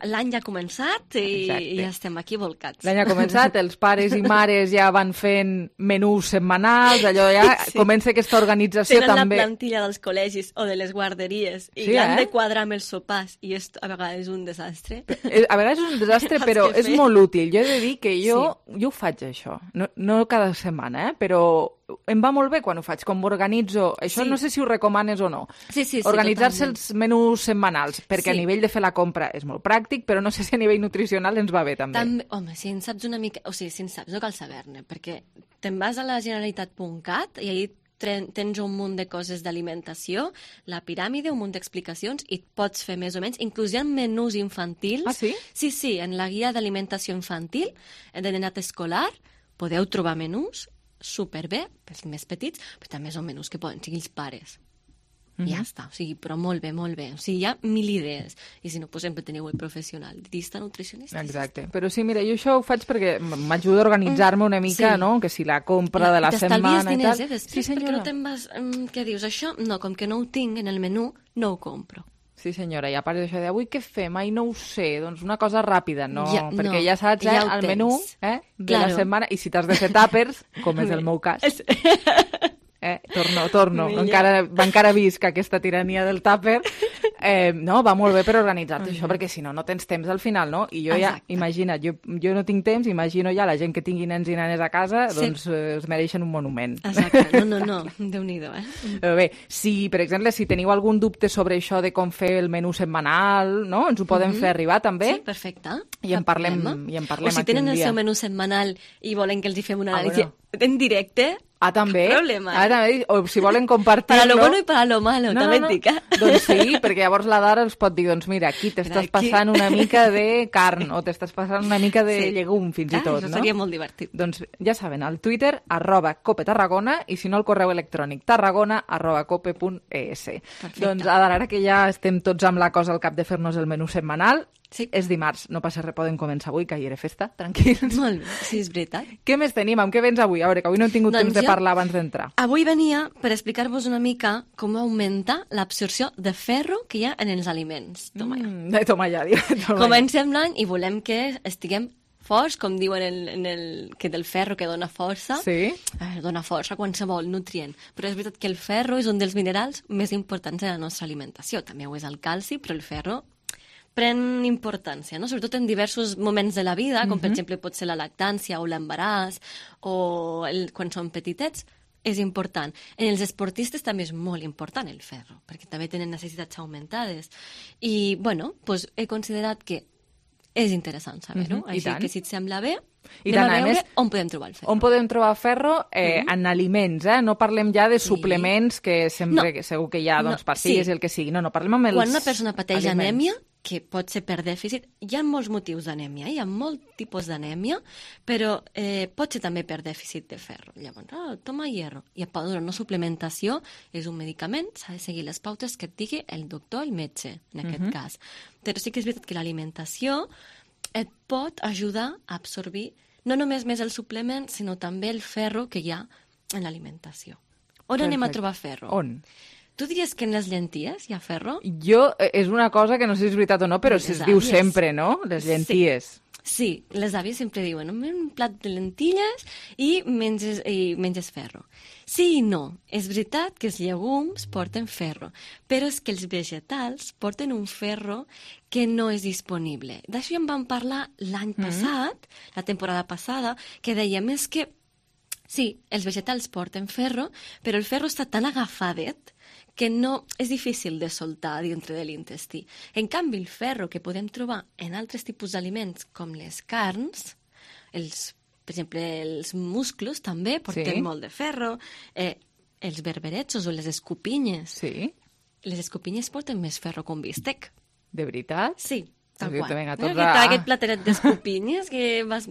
S21: l'any ja ha començat i ja estem aquí volcats.
S3: L'any ha començat, els pares i mares ja van fent menús setmanals, allò ja comença aquesta organització també.
S21: Tenen la plantilla dels col·legis o de les guarderies i han de quadrar amb els sopars i a vegades és un desastre.
S3: A vegades és un desastre, però és molt útil. Jo he de dir que jo ho faig, això. No cada setmana, però em va molt bé quan ho faig, com m'organitzo. Això no sé si ho recomanes o no.
S21: Sí,
S3: organitzar-se els menús setmanals, perquè a nivell de fer la compra és molt pràctic, però no sé si a nivell nutricional ens va bé, també.
S21: Home, si en saps una mica... O sigui, si en saps, no cal saber-ne, perquè te'n vas a la generalitat.cat i ahir tens un munt de coses d'alimentació, la piràmide, un munt d'explicacions, i et pots fer més o menys. Inclús hi ha menús infantils.
S3: Ah, sí?
S21: Sí, en la guia d'alimentació infantil, de nenat escolar, podeu trobar menús superbé, pels més petits, però també són menús que poden seguir els pares. Ja està, o sigui, però molt bé, molt bé. O sigui, hi ha 1000 idees. I si no, doncs sempre teniu el professional, dietista, nutricionista.
S3: Exacte. Però sí, mira, jo això ho faig perquè m'ajuda a organitzar-me una mica, no? Que si la compra de la setmana i tal...
S21: T'estalvies diners, després, perquè no te'n vas... Què dius, això? No, com que no ho tinc en el menú, no ho compro.
S3: Sí, senyora, i a part d'això de avui què fem? Ai, no ho sé, doncs una cosa ràpida, no? Perquè ja saps, el menú de la setmana, i si t'has de fer tàpers, com és el meu cas... Torno. Encara visc aquesta tirania del tàper. No, va molt bé per organitzar-te això, perquè si no, no tens temps al final, no? I jo ja, imagina't, jo no tinc temps, imagino ja la gent que tingui nens i nenes a casa, doncs es mereixen un monument.
S21: Exacte, no, Déu-n'hi-do,
S3: Però bé, si, per exemple, si teniu algun dubte sobre això de com fer el menú setmanal, no? Ens ho podem fer arribar, també?
S21: Sí, perfecte.
S3: I en parlem
S21: o si tenen el seu menú setmanal i volen que els hi fem una anàlisi en directe...
S3: també.
S21: Problema.
S3: També. O si volen compartir-lo...
S21: Para lo bueno y para lo malo, també et dic.
S3: Doncs sí, perquè llavors la Dara els pot dir, doncs mira, aquí t'estàs passant una mica de carn o t'estàs passant una mica de llegum, fins i tot,
S21: això seria molt divertit.
S3: Doncs ja saben, al Twitter, @copetarragona, i si no, el correu electrònic tarragona@cope.es. Doncs ara que ja estem tots amb la cosa al cap de fer-nos el menú setmanal, és dimarts, no passa res, podem començar avui, que ahir era festa, tranquils.
S21: Molt bé, sí, és veritat.
S3: Què més tenim? Amb què vens avui? A veure, que avui no hem tingut temps de parlar abans d'entrar.
S21: Avui venia per explicar-vos una mica com augmenta l'absorció de ferro que hi ha en els aliments.
S3: Toma ja.
S21: Comencem l'any i volem que estiguem forts, com diuen que del ferro que dona força.
S3: Sí.
S21: Dona força a qualsevol nutrient. Però és veritat que el ferro és un dels minerals més importants de la nostra alimentació. També ho és el calci, però el ferro pren importància, no? Sobretot en diversos moments de la vida, com per exemple pot ser la lactància o l'embaràs, o quan són petitets, és important. En els esportistes també és molt important el ferro, perquè també tenen necessitats augmentades. I, bueno, doncs he considerat que és interessant saber-ho, així que si et sembla bé, anem a veure on podem trobar el ferro.
S3: On podem trobar ferro? En aliments, no parlem ja de suplements, que sempre segur que hi ha pastilles i el que sigui. No, parlem amb els
S21: aliments. Quan una persona pateix anèmia, que pot ser per dèficit, hi ha molts motius d'anèmia, hi ha molts tipus d'anèmia, però pot ser també per dèficit de ferro. Llavors, toma hierro. I pot donar una suplementació, és un medicament, s'ha de seguir les pautes que et digui el doctor, el metge, en aquest cas. Però sí que és veritat que l'alimentació et pot ajudar a absorbir no només més el suplement, sinó també el ferro que hi ha en l'alimentació. On anem a trobar ferro?
S3: On?
S21: Tu diries que en les llenties hi ha ferro?
S3: És una cosa que no sé si és veritat o no, però es diu sempre, no? Les llenties.
S21: Sí, les àvies sempre diuen un plat de lentilles i menges ferro. Sí i no. És veritat que els llegums porten ferro, però és que els vegetals porten un ferro que no és disponible. D'això ja en vam parlar l'any passat, la temporada passada, que dèiem és que sí, els vegetals porten ferro, però el ferro està tan agafadet que no és difícil de soltar dintre de l'intestí. En canvi, el ferro que podem trobar en altres tipus d'aliments, com les carns, per exemple, els musclos també porten molt de ferro, els berberechos o les escopinyes.
S3: Sí.
S21: Les escopinyes porten més ferro que un bistec.
S3: De veritat?
S21: Sí, tal qual. Aquest plateret d'escopinyes que vas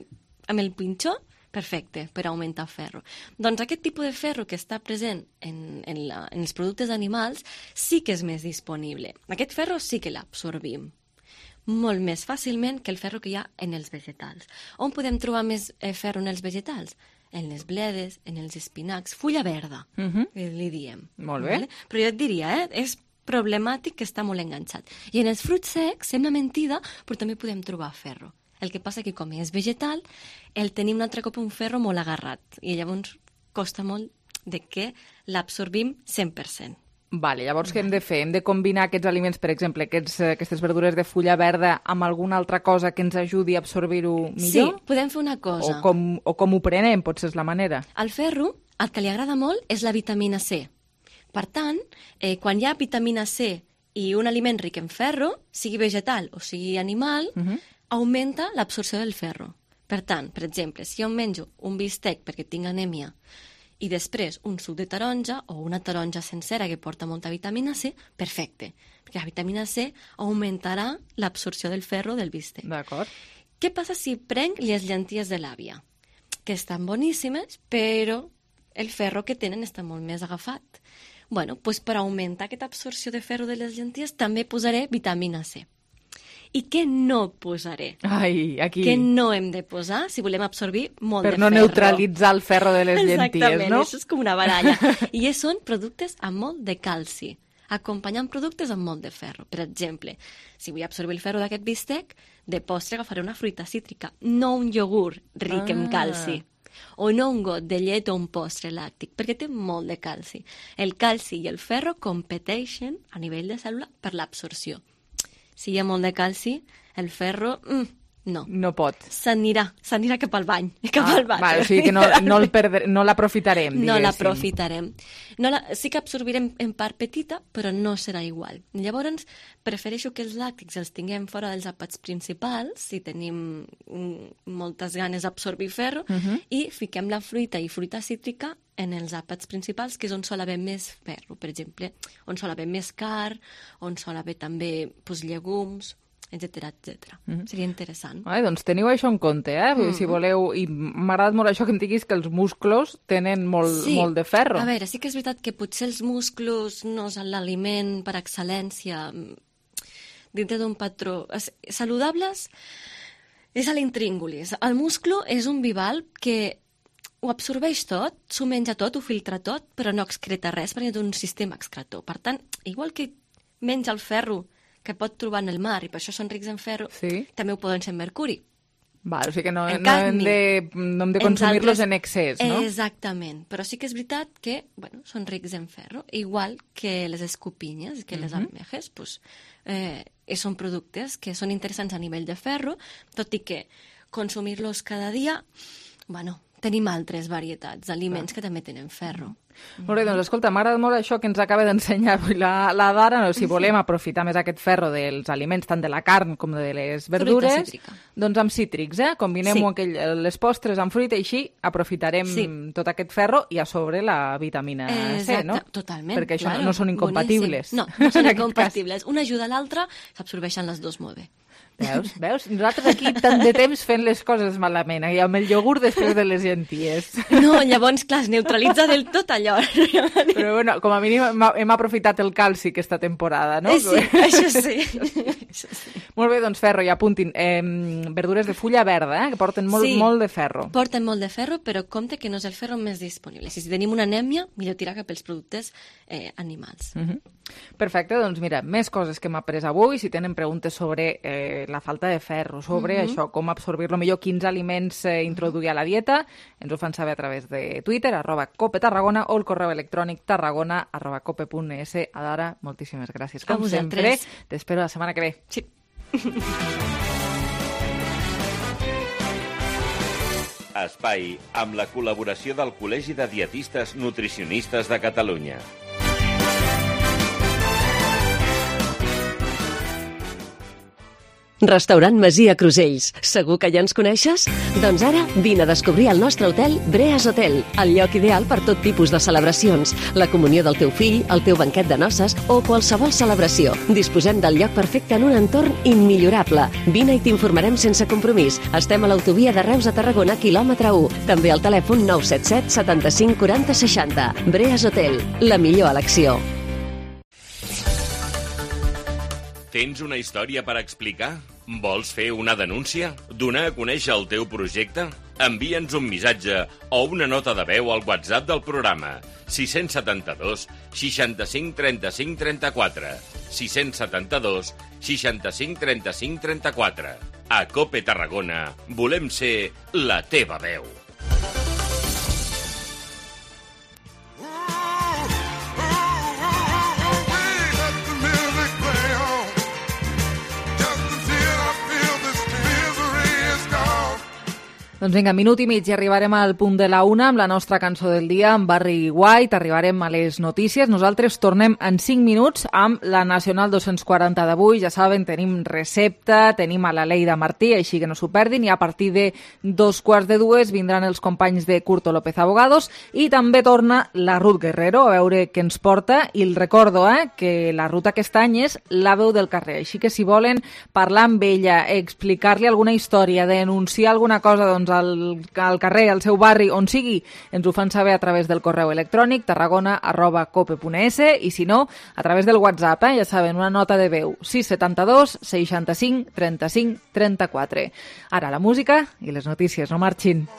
S21: amb el pinxó, perfecte, per augmentar ferro. Doncs aquest tipus de ferro que està present en els productes animals sí que és més disponible. Aquest ferro sí que l'absorbim molt més fàcilment que el ferro que hi ha en els vegetals. On podem trobar més ferro en els vegetals? En les bledes, en els espinacs, fulla verda, que li diem.
S3: Molt bé.
S21: Però jo et diria, és problemàtic que està molt enganxat. I en els fruits secs, sembla mentida, però també podem trobar ferro. El que passa que com és vegetal, el tenim un altre cop un ferro molt agarrat i llavors costa molt de que l'absorbim 100%.
S3: Vale, llavors què hem de fer? Hem de combinar aquests aliments, per exemple, aquestes verdures de fulla verda amb alguna altra cosa que ens ajudi a absorbir-ho millor?
S21: Sí, podem fer una cosa.
S3: O com ho prenem, potser és la manera.
S21: Al ferro, el que li agrada molt és la vitamina C. Per tant, quan hi ha vitamina C i un aliment ric en ferro, sigui vegetal o sigui animal, augmenta l'absorció del ferro. Per tant, per exemple, si jo menjo un bistec perquè tinc anèmia i després un suc de taronja o una taronja sencera que porta molta vitamina C, perfecte, perquè la vitamina C augmentarà l'absorció del ferro del bistec.
S3: D'acord.
S21: Què passa si prenc les llenties de l'àvia? Que estan boníssimes, però el ferro que tenen està molt més agafat. Bueno, doncs per augmentar aquesta absorció de ferro de les llenties també posaré vitamina C. I què no posaré?
S3: Ai, aquí.
S21: Què no hem de posar si volem absorbir molt de ferro?
S3: Per no neutralitzar el ferro de les llenties,
S21: Exactament,
S3: no?
S21: això és com una baralla. I són productes amb molt de calci, acompanyant productes amb molt de ferro. Per exemple, si vull absorbir el ferro d'aquest bistec, de postre agafaré una fruita cítrica, no un iogurt ric en calci. O no un got de llet o un postre làctic, perquè té molt de calci. El calci i el ferro competeixen a nivell de cèl·lula per l'absorció. Si hi ha molt de calci, el ferro, no.
S3: No pot.
S21: S'anirà cap al bany.
S3: Val, o sigui que no l'aprofitarem, diguéssim.
S21: No l'aprofitarem. Sí que absorbirem en part petita, però no serà igual. Llavors, prefereixo que els làctics els tinguem fora dels àpats principals, si tenim moltes ganes d'absorbir ferro, i fiquem la fruita i fruita cítrica en els àpats principals, que és on sol haver més ferro, per exemple, on sol haver més carn, on sol haver també llegums, etc. Seria interessant.
S3: Doncs teniu això en compte, si voleu. I m'ha agradat molt això que em diguis que els musclos tenen molt de ferro.
S21: A veure, sí que és veritat que potser els musclos no és l'aliment per excel·lència dintre d'un patró. Saludables és a l'intríngulis. El musclo és un bivalv que ho absorbeix tot, s'ho menja tot, ho filtra tot, però no excreta res perquè té un sistema excretor. Per tant, igual que menja el ferro que pot trobar en el mar, i per això són rics en ferro, també ho poden ser en mercuri.
S3: Val, o sigui que no hem de consumir-los en excés, no?
S21: Exactament, però sí que és veritat que són rics en ferro, igual que les escopinyes, que les almejes, són productes que són interessants a nivell de ferro, tot i que consumir-los cada dia, tenim altres varietats d'aliments que també tenen ferro.
S3: Molt bé, doncs escolta, m'agrada molt això que ens acaba d'ensenyar avui la Dara. Si volem aprofitar més aquest ferro dels aliments, tant de la carn com de les verdures, doncs amb cítrics, combinem-ho les postres amb fruita i així aprofitarem tot aquest ferro i a sobre la vitamina C, no?
S21: Totalment.
S3: Perquè això no són incompatibles.
S21: No són incompatibles. Una ajuda a l'altra, s'absorbeixen les dues molt bé.
S3: Veus? Nosaltres aquí tant de temps fent les coses malament, i amb el iogurt després de les llenties.
S21: No, llavors, clar, es neutralitza del tot allò.
S3: Però bueno, com a mínim hem aprofitat el calci aquesta temporada, no?
S21: Sí, això sí.
S3: Molt bé, doncs ferro, i apuntin. Verdures de fulla verda, que porten molt de ferro.
S21: Porten molt de ferro, però compte que no és el ferro més disponible. Si tenim una anèmia, millor tirar cap als productes animals.
S3: Perfecte, doncs mira, més coses que hem après avui. Si tenen preguntes sobre la falta de ferro, sobre això, com absorbir-lo millor, quins aliments introduir a la dieta, ens ho fan saber a través de Twitter, @copetarragona, o el correu electrònic tarragona@cope.es. Adara, moltíssimes gràcies. Com sempre, t'espero la setmana que ve.
S21: Sí.
S13: Espai, amb la col·laboració del Col·legi de Dietistes Nutricionistes de Catalunya.
S16: Restaurant Masia Crusells. Segur que ja ens coneixes? Doncs ara vine a descobrir el nostre hotel Breas Hotel, el lloc ideal per tot tipus de celebracions, la comunió del teu fill, el teu banquet de noces o qualsevol celebració. Disposem del lloc perfecte en un entorn immillorable. Vine i t'informarem sense compromís. Estem a l'autovia de Reus a Tarragona, quilòmetre 1. També al telèfon 977 75 40 60. Breas Hotel, la millor elecció.
S13: Tens una història per explicar? Vols fer una denúncia? Donar a conèixer el teu projecte? Envia'ns un missatge o una nota de veu al WhatsApp del programa 672 65 35 34 672 65 35 34. A Cope Tarragona volem ser la teva veu.
S3: Doncs vinga, minut i mig i arribarem al punt de la 1 amb la nostra cançó del dia, amb Barry White. Arribarem a les notícies. Nosaltres tornem en 5 minuts amb la Nacional 240 d'avui. Ja saben, tenim recepta, tenim a la Leida Martí, així que no s'ho perdin. I a partir de 2:45 vindran els companys de Curto López Abogados i també torna la Ruth Guerrero a veure què ens porta. I el recordo que la Ruth aquest any és la veu del carrer. Així que si volen parlar amb ella, explicar-li alguna història, denunciar alguna cosa, doncs al carrer, al seu barri, on sigui, ens ho fan saber a través del correu electrònic tarragona@cope.es i si no, a través del WhatsApp, ja saben, una nota de veu 672 65 35 34. Ara la música i les notícies, no marxin.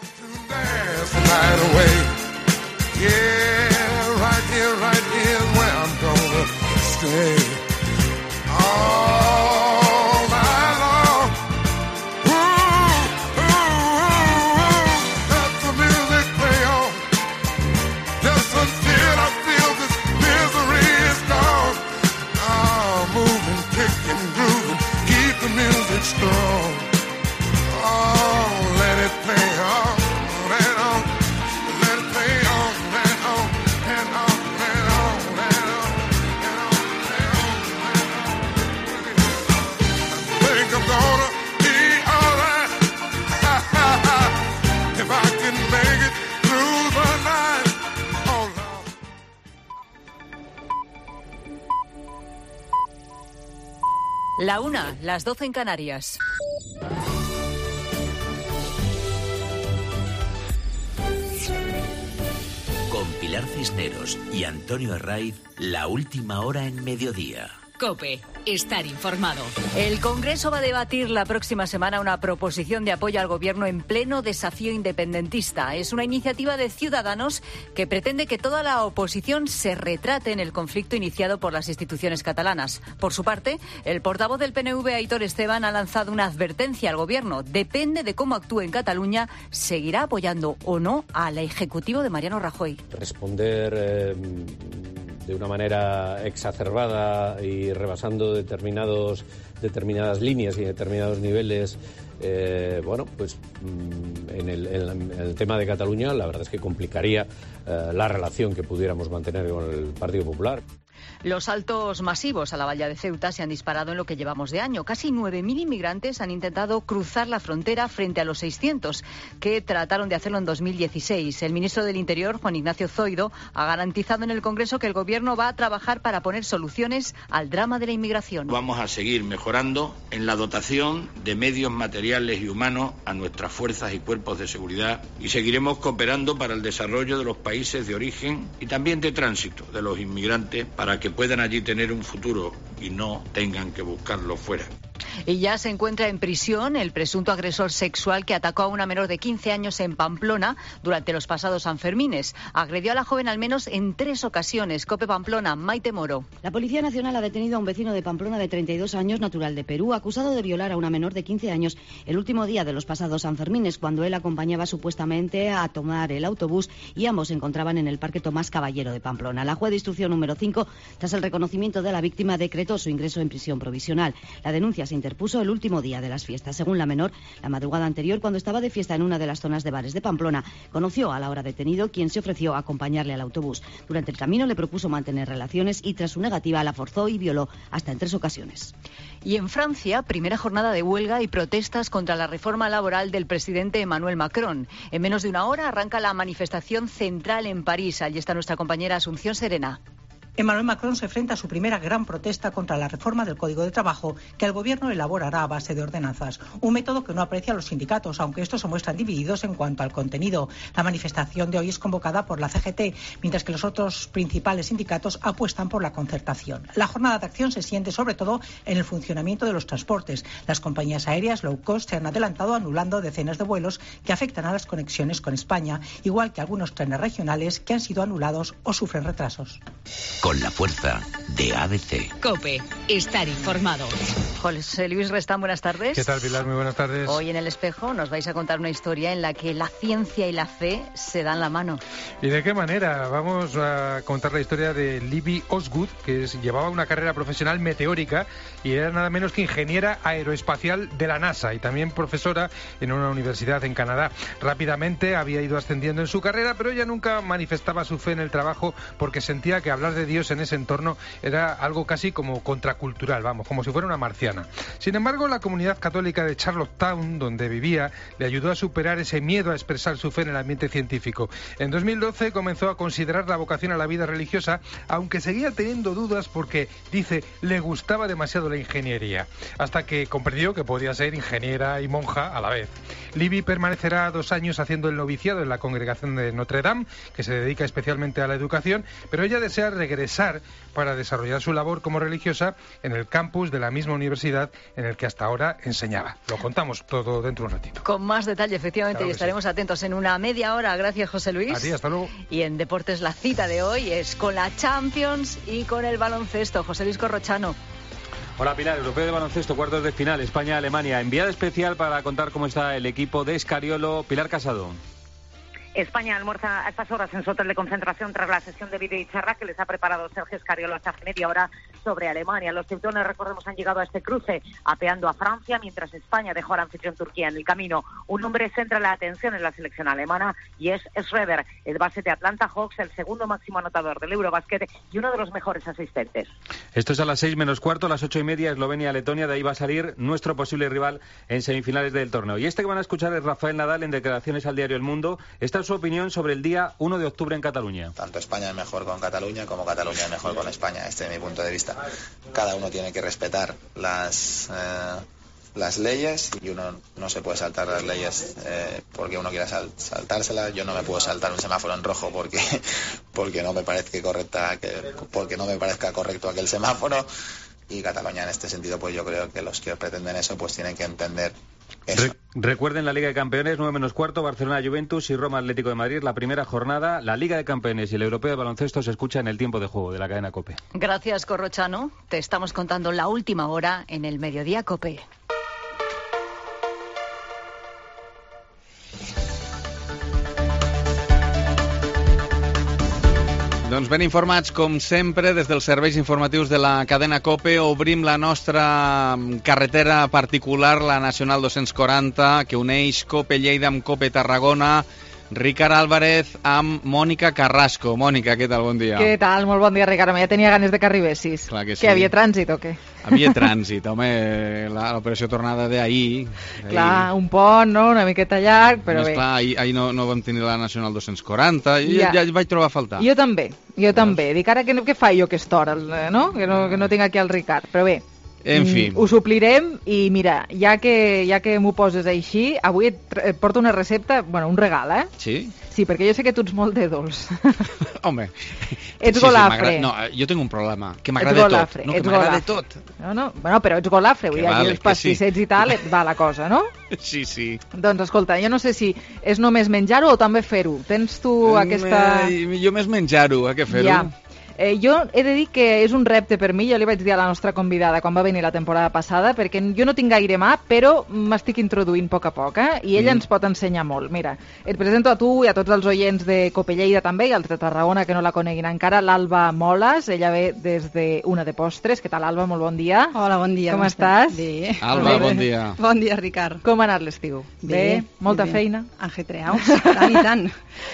S4: Right here where I'm gonna stay. Strong. Oh, let it play on and on. Let it play on and on and on and on and on and on and on. I think I'm gonna be alright if I can make it through the night. Oh,
S20: La 1, las 12 en Canarias.
S22: Con Pilar Cisneros y Antonio Herraiz, la última hora en mediodía.
S2: COPE, estar informado.
S20: El Congreso va a debatir la próxima semana una proposición de apoyo al Gobierno en pleno desafío independentista. Es una iniciativa de Ciudadanos que pretende que toda la oposición se retrate en el conflicto iniciado por las instituciones catalanas. Por su parte, el portavoz del PNV, Aitor Esteban, ha lanzado una advertencia al Gobierno. Depende de cómo actúe en Cataluña, seguirá apoyando o no al Ejecutivo de Mariano Rajoy.
S23: Responder de una manera exacerbada y rebasando determinadas líneas y determinados niveles, en el tema de Cataluña, la verdad es que complicaría la relación que pudiéramos mantener con el Partido Popular.
S20: Los saltos masivos a la valla de Ceuta se han disparado en lo que llevamos de año. Casi 9.000 inmigrantes han intentado cruzar la frontera frente a los 600 que trataron de hacerlo en 2016. El ministro del Interior, Juan Ignacio Zoido, ha garantizado en el Congreso que el Gobierno va a trabajar para poner soluciones al drama de la inmigración.
S24: Vamos a seguir mejorando en la dotación de medios materiales y humanos a nuestras fuerzas y cuerpos de seguridad y seguiremos cooperando para el desarrollo de los países de origen y también de tránsito de los inmigrantes para que puedan allí tener un futuro y no tengan que buscarlo fuera.
S20: Y ya se encuentra en prisión el presunto agresor sexual que atacó a una menor de 15 años en Pamplona durante los pasados Sanfermines. Agredió a la joven al menos en 3 ocasiones. COPE Pamplona, Maite Moro.
S25: La Policía Nacional ha detenido a un vecino de Pamplona de 32 años, natural de Perú, acusado de violar a una menor de 15 años el último día de los pasados Sanfermines, cuando él acompañaba supuestamente a tomar el autobús y ambos se encontraban en el Parque Tomás Caballero de Pamplona. La juez de instrucción número 5, tras el reconocimiento de la víctima, decretó su ingreso en prisión provisional. La denuncia se interpuso el último día de las fiestas. Según la menor, la madrugada anterior, cuando estaba de fiesta en una de las zonas de bares de Pamplona, conoció al ahora detenido, quien se ofreció a acompañarle al autobús. Durante el camino le propuso mantener relaciones y tras su negativa la forzó y violó hasta en 3 ocasiones.
S20: Y en Francia, primera jornada de huelga y protestas contra la reforma laboral del presidente Emmanuel Macron. En menos de una hora arranca la manifestación central en París. Allí está nuestra compañera Asunción Serena.
S26: Emmanuel Macron se enfrenta a su primera gran protesta contra la reforma del Código de Trabajo que el gobierno elaborará a base de ordenanzas. Un método que no aprecia a los sindicatos, aunque estos se muestran divididos en cuanto al contenido. La manifestación de hoy es convocada por la CGT, mientras que los otros principales sindicatos apuestan por la concertación. La jornada de acción se siente sobre todo en el funcionamiento de los transportes. Las compañías aéreas low cost se han adelantado anulando decenas de vuelos que afectan a las conexiones con España, igual que algunos trenes regionales que han sido anulados o sufren retrasos.
S22: con la fuerza de ABC.
S2: COPE. Estar informado.
S20: José Luis Restán, buenas tardes.
S6: ¿Qué tal, Pilar? Muy buenas tardes.
S20: Hoy en El Espejo nos vais a contar una historia en la que la ciencia y la fe se dan la mano.
S6: ¿Y de qué manera? Vamos a contar la historia de Libby Osgood, que llevaba una carrera profesional meteórica y era nada menos que ingeniera aeroespacial de la NASA y también profesora en una universidad en Canadá. Rápidamente había ido ascendiendo en su carrera, pero ella nunca manifestaba su fe en el trabajo porque sentía que hablar de Dios en ese entorno era algo casi como contracultural, vamos, como si fuera una marciana. Sin embargo, la comunidad católica de Charlottetown, donde vivía, le ayudó a superar ese miedo a expresar su fe en el ambiente científico. En 2012 comenzó a considerar la vocación a la vida religiosa, aunque seguía teniendo dudas porque, dice, le gustaba demasiado la ingeniería, hasta que comprendió que podía ser ingeniera y monja a la vez. Libby permanecerá 2 años haciendo el noviciado en la congregación de Notre Dame, que se dedica especialmente a la educación, pero ella desea regresar para desarrollar su labor como religiosa en el campus de la misma universidad en el que hasta ahora enseñaba. Lo contamos todo dentro de un ratito.
S20: Con más detalle, efectivamente, claro, y estaremos atentos en una media hora. Gracias, José Luis.
S6: A ti, hasta luego.
S20: Y en Deportes, la cita de hoy es con la Champions y con el baloncesto. José Luis Corrochano.
S7: Hola, Pilar. Europeo de baloncesto, cuartos de final, España-Alemania. Enviada especial para contar cómo está el equipo de Escariolo, Pilar Casado.
S8: España almuerza a estas horas en su hotel de concentración tras la sesión de vídeo y charla que les ha preparado Sergio Escariolo hace media hora sobre Alemania. Los teutones, recordemos, han llegado a este cruce apeando a Francia, mientras España dejó al anfitrión Turquía en el camino. Un hombre centra la atención en la selección alemana y es Schroeder, el base de Atlanta Hawks, el segundo máximo anotador del Eurobasket y uno de los mejores asistentes.
S7: Esto es a las 6 menos cuarto, a las 8:30, Eslovenia-Letonia. De ahí va a salir nuestro posible rival en semifinales del torneo. Y este que van a escuchar es Rafael Nadal en declaraciones al diario El Mundo. Esta es su opinión sobre el día 1 de octubre en Cataluña.
S9: Tanto España es mejor con Cataluña como Cataluña es mejor con España. Este es mi punto de vista. Cada uno tiene que respetar las leyes y uno no se puede saltar las leyes porque uno quiera saltárselas. Yo no me puedo saltar un semáforo en rojo porque no me parezca correcto aquel semáforo, y Cataluña en este sentido, pues yo creo que los que pretenden eso pues tienen que entender eso.
S7: Recuerden la Liga de Campeones, 9 menos cuarto, Barcelona-Juventus y Roma-Atlético de Madrid, la primera jornada. La Liga de Campeones y el Europeo de Baloncesto se escucha en el tiempo de juego de la cadena COPE.
S20: Gracias, Corrochano. Te estamos contando la última hora en el Mediodía COPE.
S10: Doncs ben informats, com sempre, des dels serveis informatius de la cadena COPE. Obrim la nostra carretera particular, la Nacional 240, que uneix COPE Lleida amb COPE Tarragona. Ricard Álvarez amb Mònica Carrasco. Mònica, què tal? Bon dia.
S3: Què tal? Molt bon dia, Ricard. Ja tenia ganes de que arribessis.
S10: Clar que sí.
S3: Que havia trànsit o què?
S10: Havia trànsit, home, l'operació tornada d'ahir.
S3: Clar, un pont, no? Una miqueta llarg, però bé.
S10: Clar, ahir no vam tenir la Nacional 240, ja vaig trobar a faltar.
S3: Jo també. Dic, ara què fa jo aquesta hora, no? Que no tinc aquí el Ricard, però bé.
S10: En fi.
S3: Ho suplirem i mira, ja que m'ho poses així, avui et porto una recepta, bueno, un regal, eh?
S10: Sí?
S3: Sí, perquè jo sé que tu ets molt de dolç.
S10: Home.
S3: Ets golafre.
S10: No, jo tinc un problema, que m'agrada tot. No, que m'agrada tot.
S3: No, bueno, però ets golafre, vull dir, aquí els pastissets i tal, et va la cosa, no?
S10: Sí, sí.
S3: Doncs escolta, jo no sé si és només menjar-ho o també fer-ho. Tens tu aquesta...
S10: Jo més menjar-ho, que fer-ho.
S3: Ja. Jo he de dir que és un repte per mi, jo li vaig dir a la nostra convidada quan va venir la temporada passada, perquè jo no tinc gaire mà, però m'estic introduint a poc a poc, i ella ens pot ensenyar molt. Mira, et presento a tu i a tots els oients de COPE Lleida també, i els de Tarragona que no la coneguin encara, l'Alba Moles, ella ve des de Una de Postres. Què tal, Alba? Molt bon dia.
S11: Hola, bon dia.
S3: Com estàs?
S11: Bé.
S10: Alba, bon dia.
S11: Bon dia, Ricard.
S3: Com ha anat l'estiu? Bé? Molta feina?
S11: Ajetreaus, tant i tant.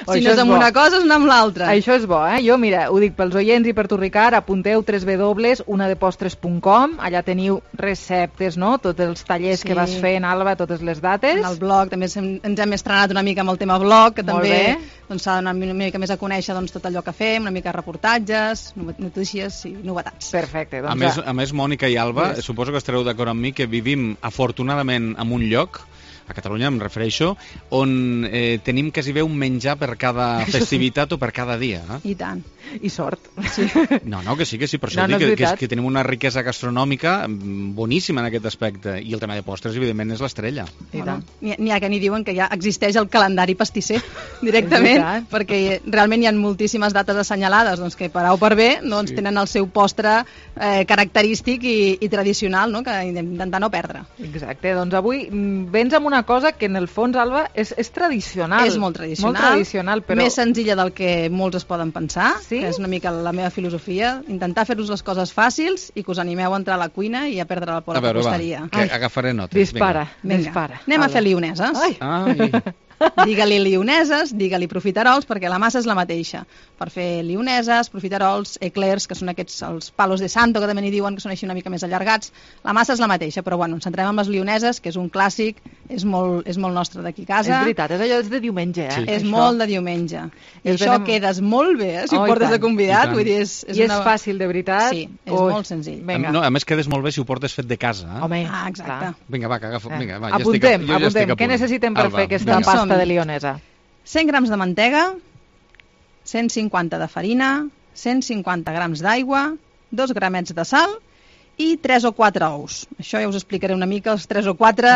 S11: Si no és amb una cosa, és amb l'altra.
S3: Això és bo, eh? Jo, mira, ho dic pels oients i per tu, Ricard, apunteu www.unadepostres.com, allà teniu receptes, no? Tots els tallers que vas fent, Alba, totes les dates.
S11: En el blog també ens hem estrenat una mica amb el tema blog, que també s'ha d'anar una mica més a conèixer tot allò que fem, una mica reportatges, notícies i novetats.
S3: Perfecte.
S10: A més, Mònica i Alba, suposo que estareu d'acord amb mi que vivim afortunadament en un lloc a Catalunya em refereixo, on tenim quasi bé un menjar per cada festivitat o per cada dia.
S11: I tant.
S3: I sort.
S11: Sí.
S10: No, que sí, per això dic que tenim una riquesa gastronòmica boníssima en aquest aspecte, i el tema de postres, evidentment, és l'estrella.
S11: Bueno, n'hi ha que ni diuen que ja existeix el calendari pastisser directament, perquè realment hi ha moltíssimes dates assenyalades, doncs que per A o per B doncs, tenen el seu postre característic i tradicional, no? Que intentar no perdre.
S3: Exacte, doncs avui vens amb una cosa que en el fons, Alba, és tradicional.
S11: És molt tradicional,
S3: però...
S11: més senzilla del que molts es poden pensar, que és una mica la meva filosofia, intentar fer-vos les coses fàcils i que us animeu a entrar a la cuina i a perdre la por a la costeria.
S10: Que agafaré notes.
S3: Dispara.
S11: Anem a fer lioneses. Digue-li lioneses, digue-li profiterols, perquè la massa és la mateixa. Per fer lioneses, profiterols, eclairs, que són aquests, els palos de santo, que també n'hi diuen, que són així una mica més allargats, la massa és la mateixa, però bueno, ens centrem en les lioneses, que és un clàssic, és molt nostre d'aquí a casa.
S3: És veritat, és allò de diumenge,
S11: Sí. És molt de diumenge. I això quedes molt bé, si ho portes de convidat. Vull dir,
S3: I és fàcil, de veritat.
S11: Sí, és molt senzill.
S10: A més, quedes molt bé si ho portes fet de casa.
S3: Home,
S11: exacte.
S10: Vinga, va, que agafo.
S3: Apuntem. Què necessitem per fer aquesta pasta de lionesa?
S11: 100 grams de mantega, 150 de farina, 150 grams d'aigua, 2 gramets de sal i 3 o 4 ous. Això ja us explicaré una mica, els 3 o 4,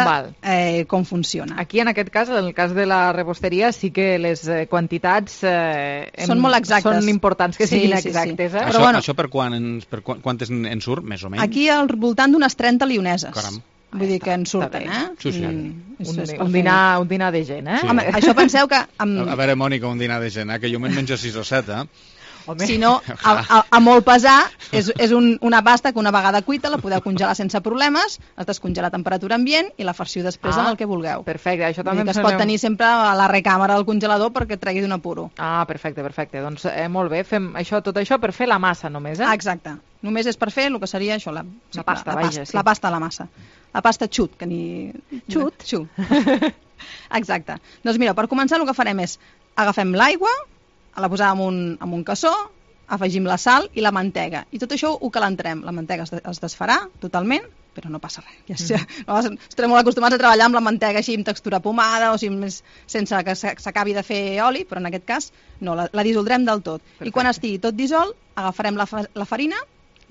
S11: com funciona.
S3: Aquí, en aquest cas, en el cas de la rebosteria, sí que les quantitats
S11: són molt exactes.
S3: Són importants que siguin exactes.
S10: Això per quantes en surt, més o menys?
S11: Aquí al voltant d'unes 30 lioneses. Caram. Vull dir que en surten,
S10: Sí.
S3: Un dinar de gent,
S10: Sí.
S11: Home, això penseu que...
S10: A veure, Mònica, un dinar de gent, que jo me'n menjo 6 o 7,
S11: Si no, a molt pesar, és una pasta que una vegada cuita la podeu congelar sense problemes, es descongela a temperatura ambient i la farciu després amb el que vulgueu.
S3: Perfecte, això també
S11: es pot tenir sempre a la recàmera del congelador perquè et tregui d'un apuro.
S3: Perfecte. Doncs molt bé, fem tot això per fer la massa només,
S11: Exacte. Només és per fer el que seria això, la
S3: pasta,
S11: la pasta a la massa. La pasta xut, que ni...
S3: Xut?
S11: Exacte. Doncs mira, per començar el que farem és agafem l'aigua, la posem en un cassó, afegim la sal i la mantega. I tot això ho calentarem. La mantega es desfarà totalment, però no passa res. Estarem molt acostumats a treballar amb la mantega així amb textura pomada o sense que s'acabi de fer oli, però en aquest cas no, la dissoldrem del tot. I quan estigui tot dissolt, agafarem la farina,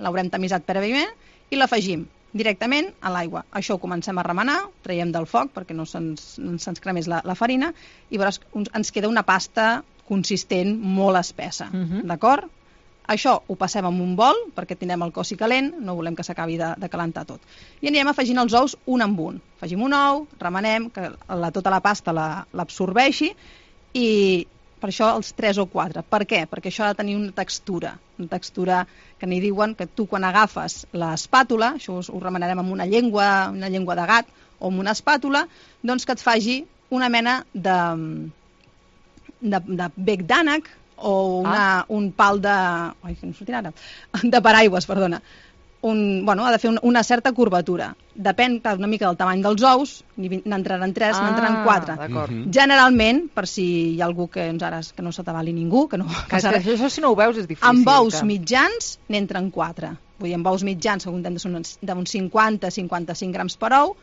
S11: l'haurem tamisat prèviament i l'afegim directament a l'aigua. Això ho comencem a remenar, traiem del foc perquè no se'ns cremés la farina i veuràs, ens queda una pasta consistent, molt espessa. D'acord? Això ho passem en un bol perquè tindrem el cossi calent, no volem que s'acabi de calentar tot. I anirem afegint els ous un amb un. Afegim un ou, remenem, que tota la pasta l'absorbeixi i per això els 3 o 4. Per què? Perquè això ha de tenir una textura que n'hi diuen que tu quan agafes l'espàtula, això ho remenarem amb una llengua de gat o amb una espàtula, doncs que et faci una mena de bec d'ànec o un pal de paraigües, perdona. Ha de fer una certa curvatura. Depèn una mica del tamany dels ous, n'entraran 3, n'entraran 4. Generalment, per si hi ha algú que no s'atabali ningú, que no passa res.
S3: Això si no ho veus és difícil.
S11: Amb ous mitjans n'entren 4. Vull dir, amb ous mitjans, que contem d'uns 50-55 grams per ou,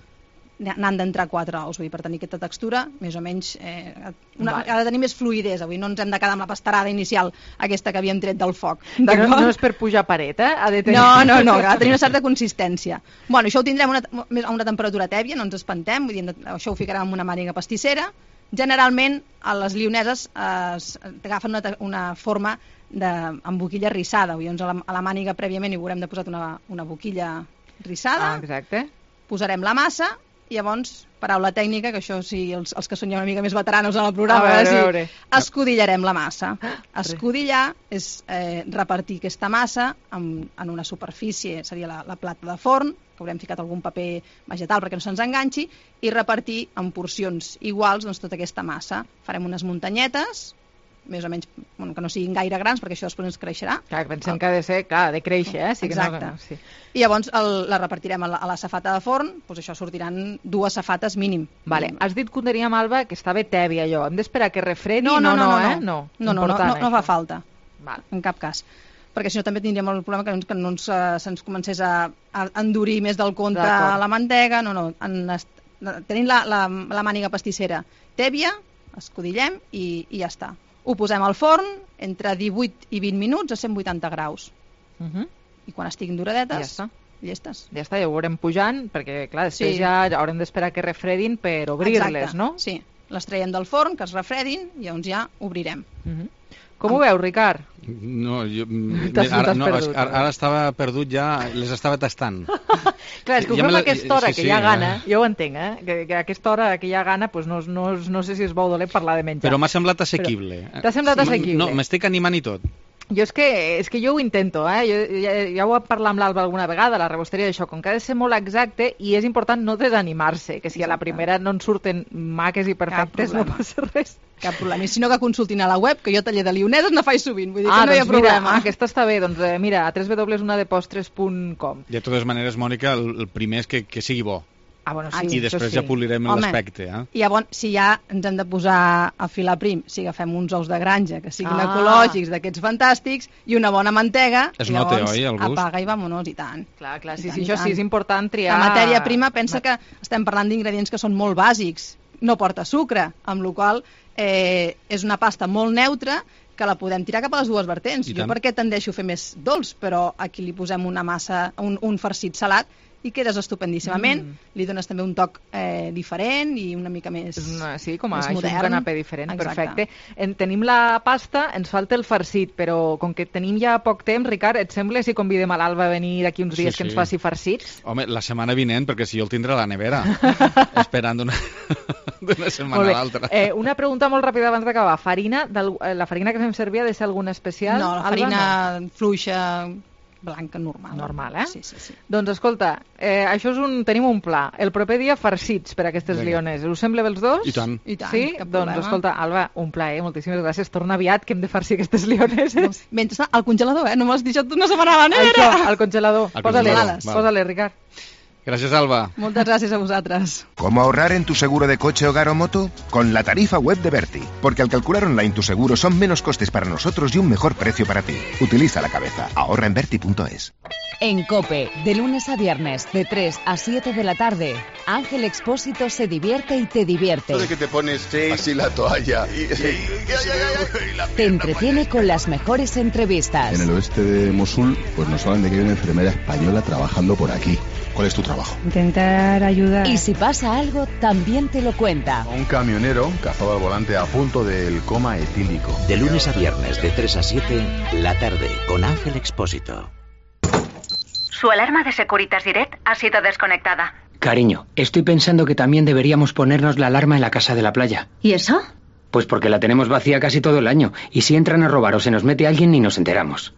S11: n'han d'entrar 4 ous, vull dir, per tenir aquesta textura, més o menys, ha de tenir més fluïdesa, vull dir, no ens hem de quedar amb la pastarada inicial, aquesta que havíem tret del foc.
S3: No és per pujar paret,
S11: ha de tenir... No, ha de tenir una certa consistència. Bueno, això ho tindrem a una temperatura tèbia, no ens espantem, vull dir, això ho ficarem en una màniga pastissera. Generalment, a les lioneses agafen una forma amb boquilla rissada, vull dir, a la màniga prèviament hi haurem de posar una boquilla rissada, posarem la massa. I llavors, paraula tècnica, que això sí, els que són ja una mica més veteranos en el programa, escudillarem la massa. Escudillar és repartir aquesta massa en una superfície, seria la plata de forn, que haurem ficat algun paper vegetal perquè no se'ns enganxi, i repartir en porcions iguals tota aquesta massa. Farem unes muntanyetes, més o menys, que no siguin gaire grans, perquè això després ens creixerà.
S3: Clar, pensem que ha de ser, de créixer,
S11: Exacte. I llavors la repartirem a la safata de forn, doncs això sortiran 2 safates mínim.
S3: Vale. Has dit que ho teníem, Alba, que estava tèbia allò. Hem d'esperar que refredi?
S11: No fa falta, en cap cas. Perquè si no també tindríem el problema que se'ns comencés a endurir més del compte la mantega. tenim la màniga pastissera tèbia, escudillem i ja està. Ho posem al forn entre 18 i 20 minuts a 180 graus. I quan estiguin doradetes, llestes.
S3: Ja està, ja ho veurem pujant, perquè clar, després ja haurem d'esperar que refredin per obrir-les, no?
S11: Sí, les traiem del forn, que es refredin, i llavors ja obrirem.
S3: Com ho veus, Ricard?
S10: No, jo...
S3: Ara
S10: estava perdut ja, les estava tastant.
S3: Clar, és que ho fem a aquesta hora, que hi ha gana, jo ho entenc, que a aquesta hora que hi ha gana, no sé si es vol dolent parlar de menjar.
S10: Però m'ha semblat assequible.
S3: T'ha semblat assequible?
S10: No, m'estic animant i tot.
S3: Jo és que jo ho intento, ja ho he parlat amb l'Alba alguna vegada, la rebosteria d'això, com que ha de ser molt exacte i és important no desanimar-se, que si a la primera no en surten maques i perfectes no passa res.
S11: Cap problema, i si no que consultin a la web, que jo taller de lioneses ne faig sovint, vull dir que no hi ha problema.
S3: Aquesta està bé, doncs mira, a www.unadepostres.com.
S10: De totes maneres, Mònica, el primer és que sigui bo.
S3: Bueno, sí,
S10: i després ja polirem l'aspecte.
S11: I llavors, si ja ens hem de posar a filar prim, si agafem uns ous de granja que siguin ecològics, d'aquests fantàstics, i una bona mantega, llavors apaga i vamonos, i tant.
S3: Clar, sí, això sí, és important triar...
S11: La matèria prima, pensa que estem parlant d'ingredients que són molt bàsics, no porta sucre, amb la qual és una pasta molt neutra que la podem tirar cap a les dues vertents. Jo perquè tendeixo a fer més dolç, però aquí li posem una massa, un farcit salat, i quedes estupendíssimament, li dones també un toc diferent i una mica més
S3: sí, com a
S11: un
S3: canapé diferent. Perfecte. Tenim la pasta, ens falta el farcit, però com que tenim ja poc temps, Ricard, et sembla si convidem a l'Alba a venir d'aquí uns dies que ens faci farcits?
S10: Home, la setmana vinent, perquè si jo el tindré a la nevera, esperant d'una setmana a l'altra.
S3: Una pregunta molt ràpida abans d'acabar. La farina que fem servir ha de ser alguna especial?
S11: No, la farina fluixa, blanca, normal.
S3: Normal,
S11: Sí.
S3: Doncs escolta, això tenim un pla. El proper dia farcits per a aquestes lioneses. Us sembla bé els dos?
S10: I tant.
S3: Sí? Doncs escolta, Alba, un plaer, moltíssimes gràcies. Torna aviat, que hem de farcir aquestes lioneses.
S11: Mentre al congelador, no me l'has deixat una setmana a la nevera.
S3: Això, al congelador. Posa-li, Ricard.
S10: Gracias, Alba.
S11: Muchas gracias a vosotras.
S1: ¿Cómo ahorrar en tu seguro de coche, hogar o moto? Con la tarifa web de Berti. Porque al calcular online tu seguro son menos costes para nosotros y un mejor precio para ti. Utiliza la cabeza. Ahorra en Berti.es.
S2: En COPE, de lunes a viernes, de 3 a 7 de la tarde, Ángel Expósito se divierte y te divierte.
S5: Eso de que te pones así la toalla
S2: Te entretiene con las mejores entrevistas.
S5: En el oeste de Mosul, pues nos hablan de que hay una enfermera española trabajando por aquí. ¿Cuál es tu trabajo?
S2: Intentar ayudar. Y si pasa algo, también te lo cuenta.
S5: Un camionero cazado al volante a punto del coma etílico.
S22: De lunes a viernes, de 3 a 7, la tarde, con Ángel Expósito.
S12: Su alarma de Securitas Direct ha sido desconectada.
S14: Cariño, estoy pensando que también deberíamos ponernos la alarma en la casa de la playa.
S12: ¿Y eso?
S14: Pues porque la tenemos vacía casi todo el año. Y si entran a robar o se nos mete alguien, ni nos enteramos.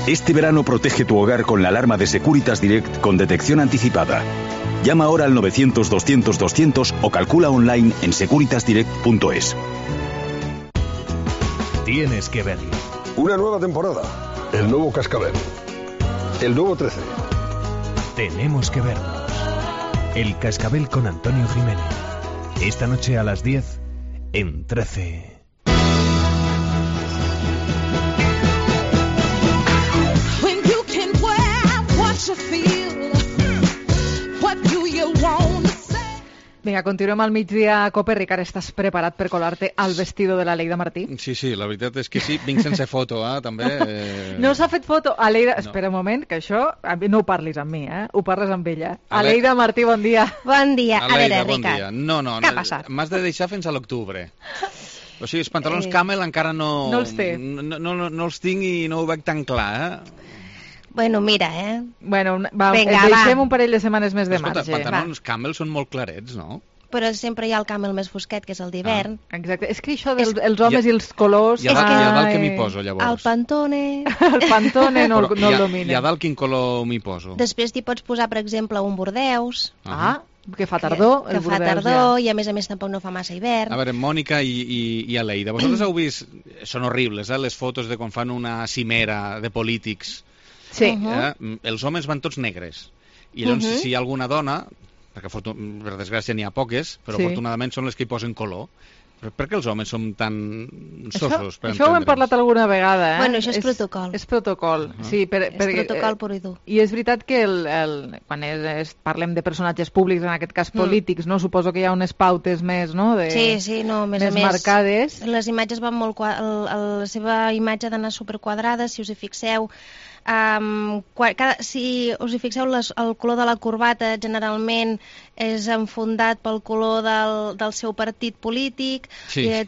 S15: Este verano protege tu hogar con la alarma de Securitas Direct con detección anticipada. Llama ahora al 900-200-200 o calcula online en securitasdirect.es.
S17: Tienes que verlo.
S27: Una nueva temporada. El nuevo Cascabel. El nuevo 13.
S17: Tenemos que vernos. El Cascabel con Antonio Jiménez. Esta noche a las 10 en 13.
S3: Vinga, continuem al migdia a COPE. Ricard, estàs preparat per colar-te al vestido de la Leida Martí?
S10: Sí, la veritat és que sí. Vinc sense foto, també.
S3: No s'ha fet foto? Aleida, espera un moment, que això no ho parlis amb mi, ho parles amb ella. Aleida Martí, bon dia.
S28: Bon dia.
S10: Aleida,
S28: a veure,
S10: bon dia. No,
S28: què ha passat?
S10: M'has de deixar fins a l'octubre. O sigui, els pantalons Camel encara no...
S3: No els té.
S10: No els tinc i no ho veig tan clar,
S28: Bueno, mira,
S3: Bueno, deixem un parell de setmanes més de marge.
S10: Els pantalons Camel són molt clarets, no?
S28: Però sempre hi ha el Camel més fosquet, que és el d'hivern.
S3: Exacte. És que això dels homes i els colors...
S10: I a dalt què m'hi poso, llavors?
S28: El Pantone.
S3: El Pantone no el domina.
S10: I a dalt quin color m'hi poso?
S28: Després t'hi pots posar, per exemple, un bordeus.
S3: Que fa tardor.
S28: Que fa tardor i a més tampoc no fa massa hivern.
S10: A veure, Mònica i Aleida, vosaltres heu vist... Són horribles, les fotos de quan fan una cimera de polítics.
S3: Sí.
S10: Els homes van tots negres. I llavors, si hi ha alguna dona, perquè per desgràcia n'hi ha poques, però afortunadament són les que hi posen color. Per què els homes som tan sossos?
S3: Això ho hem parlat alguna vegada, eh?
S28: Bueno, això és protocol.
S3: És protocol, sí.
S28: És protocol pur i dur.
S3: I és veritat que quan parlem de personatges públics, en aquest cas polítics, no? Suposo que hi ha unes pautes més, no?
S28: Sí, no, més
S3: marcades.
S28: Les imatges van molt... La seva imatge ha d'anar superquadrada, si us hi fixeu. Si us hi fixeu, el color de la corbata generalment és enfondat pel color del seu partit polític,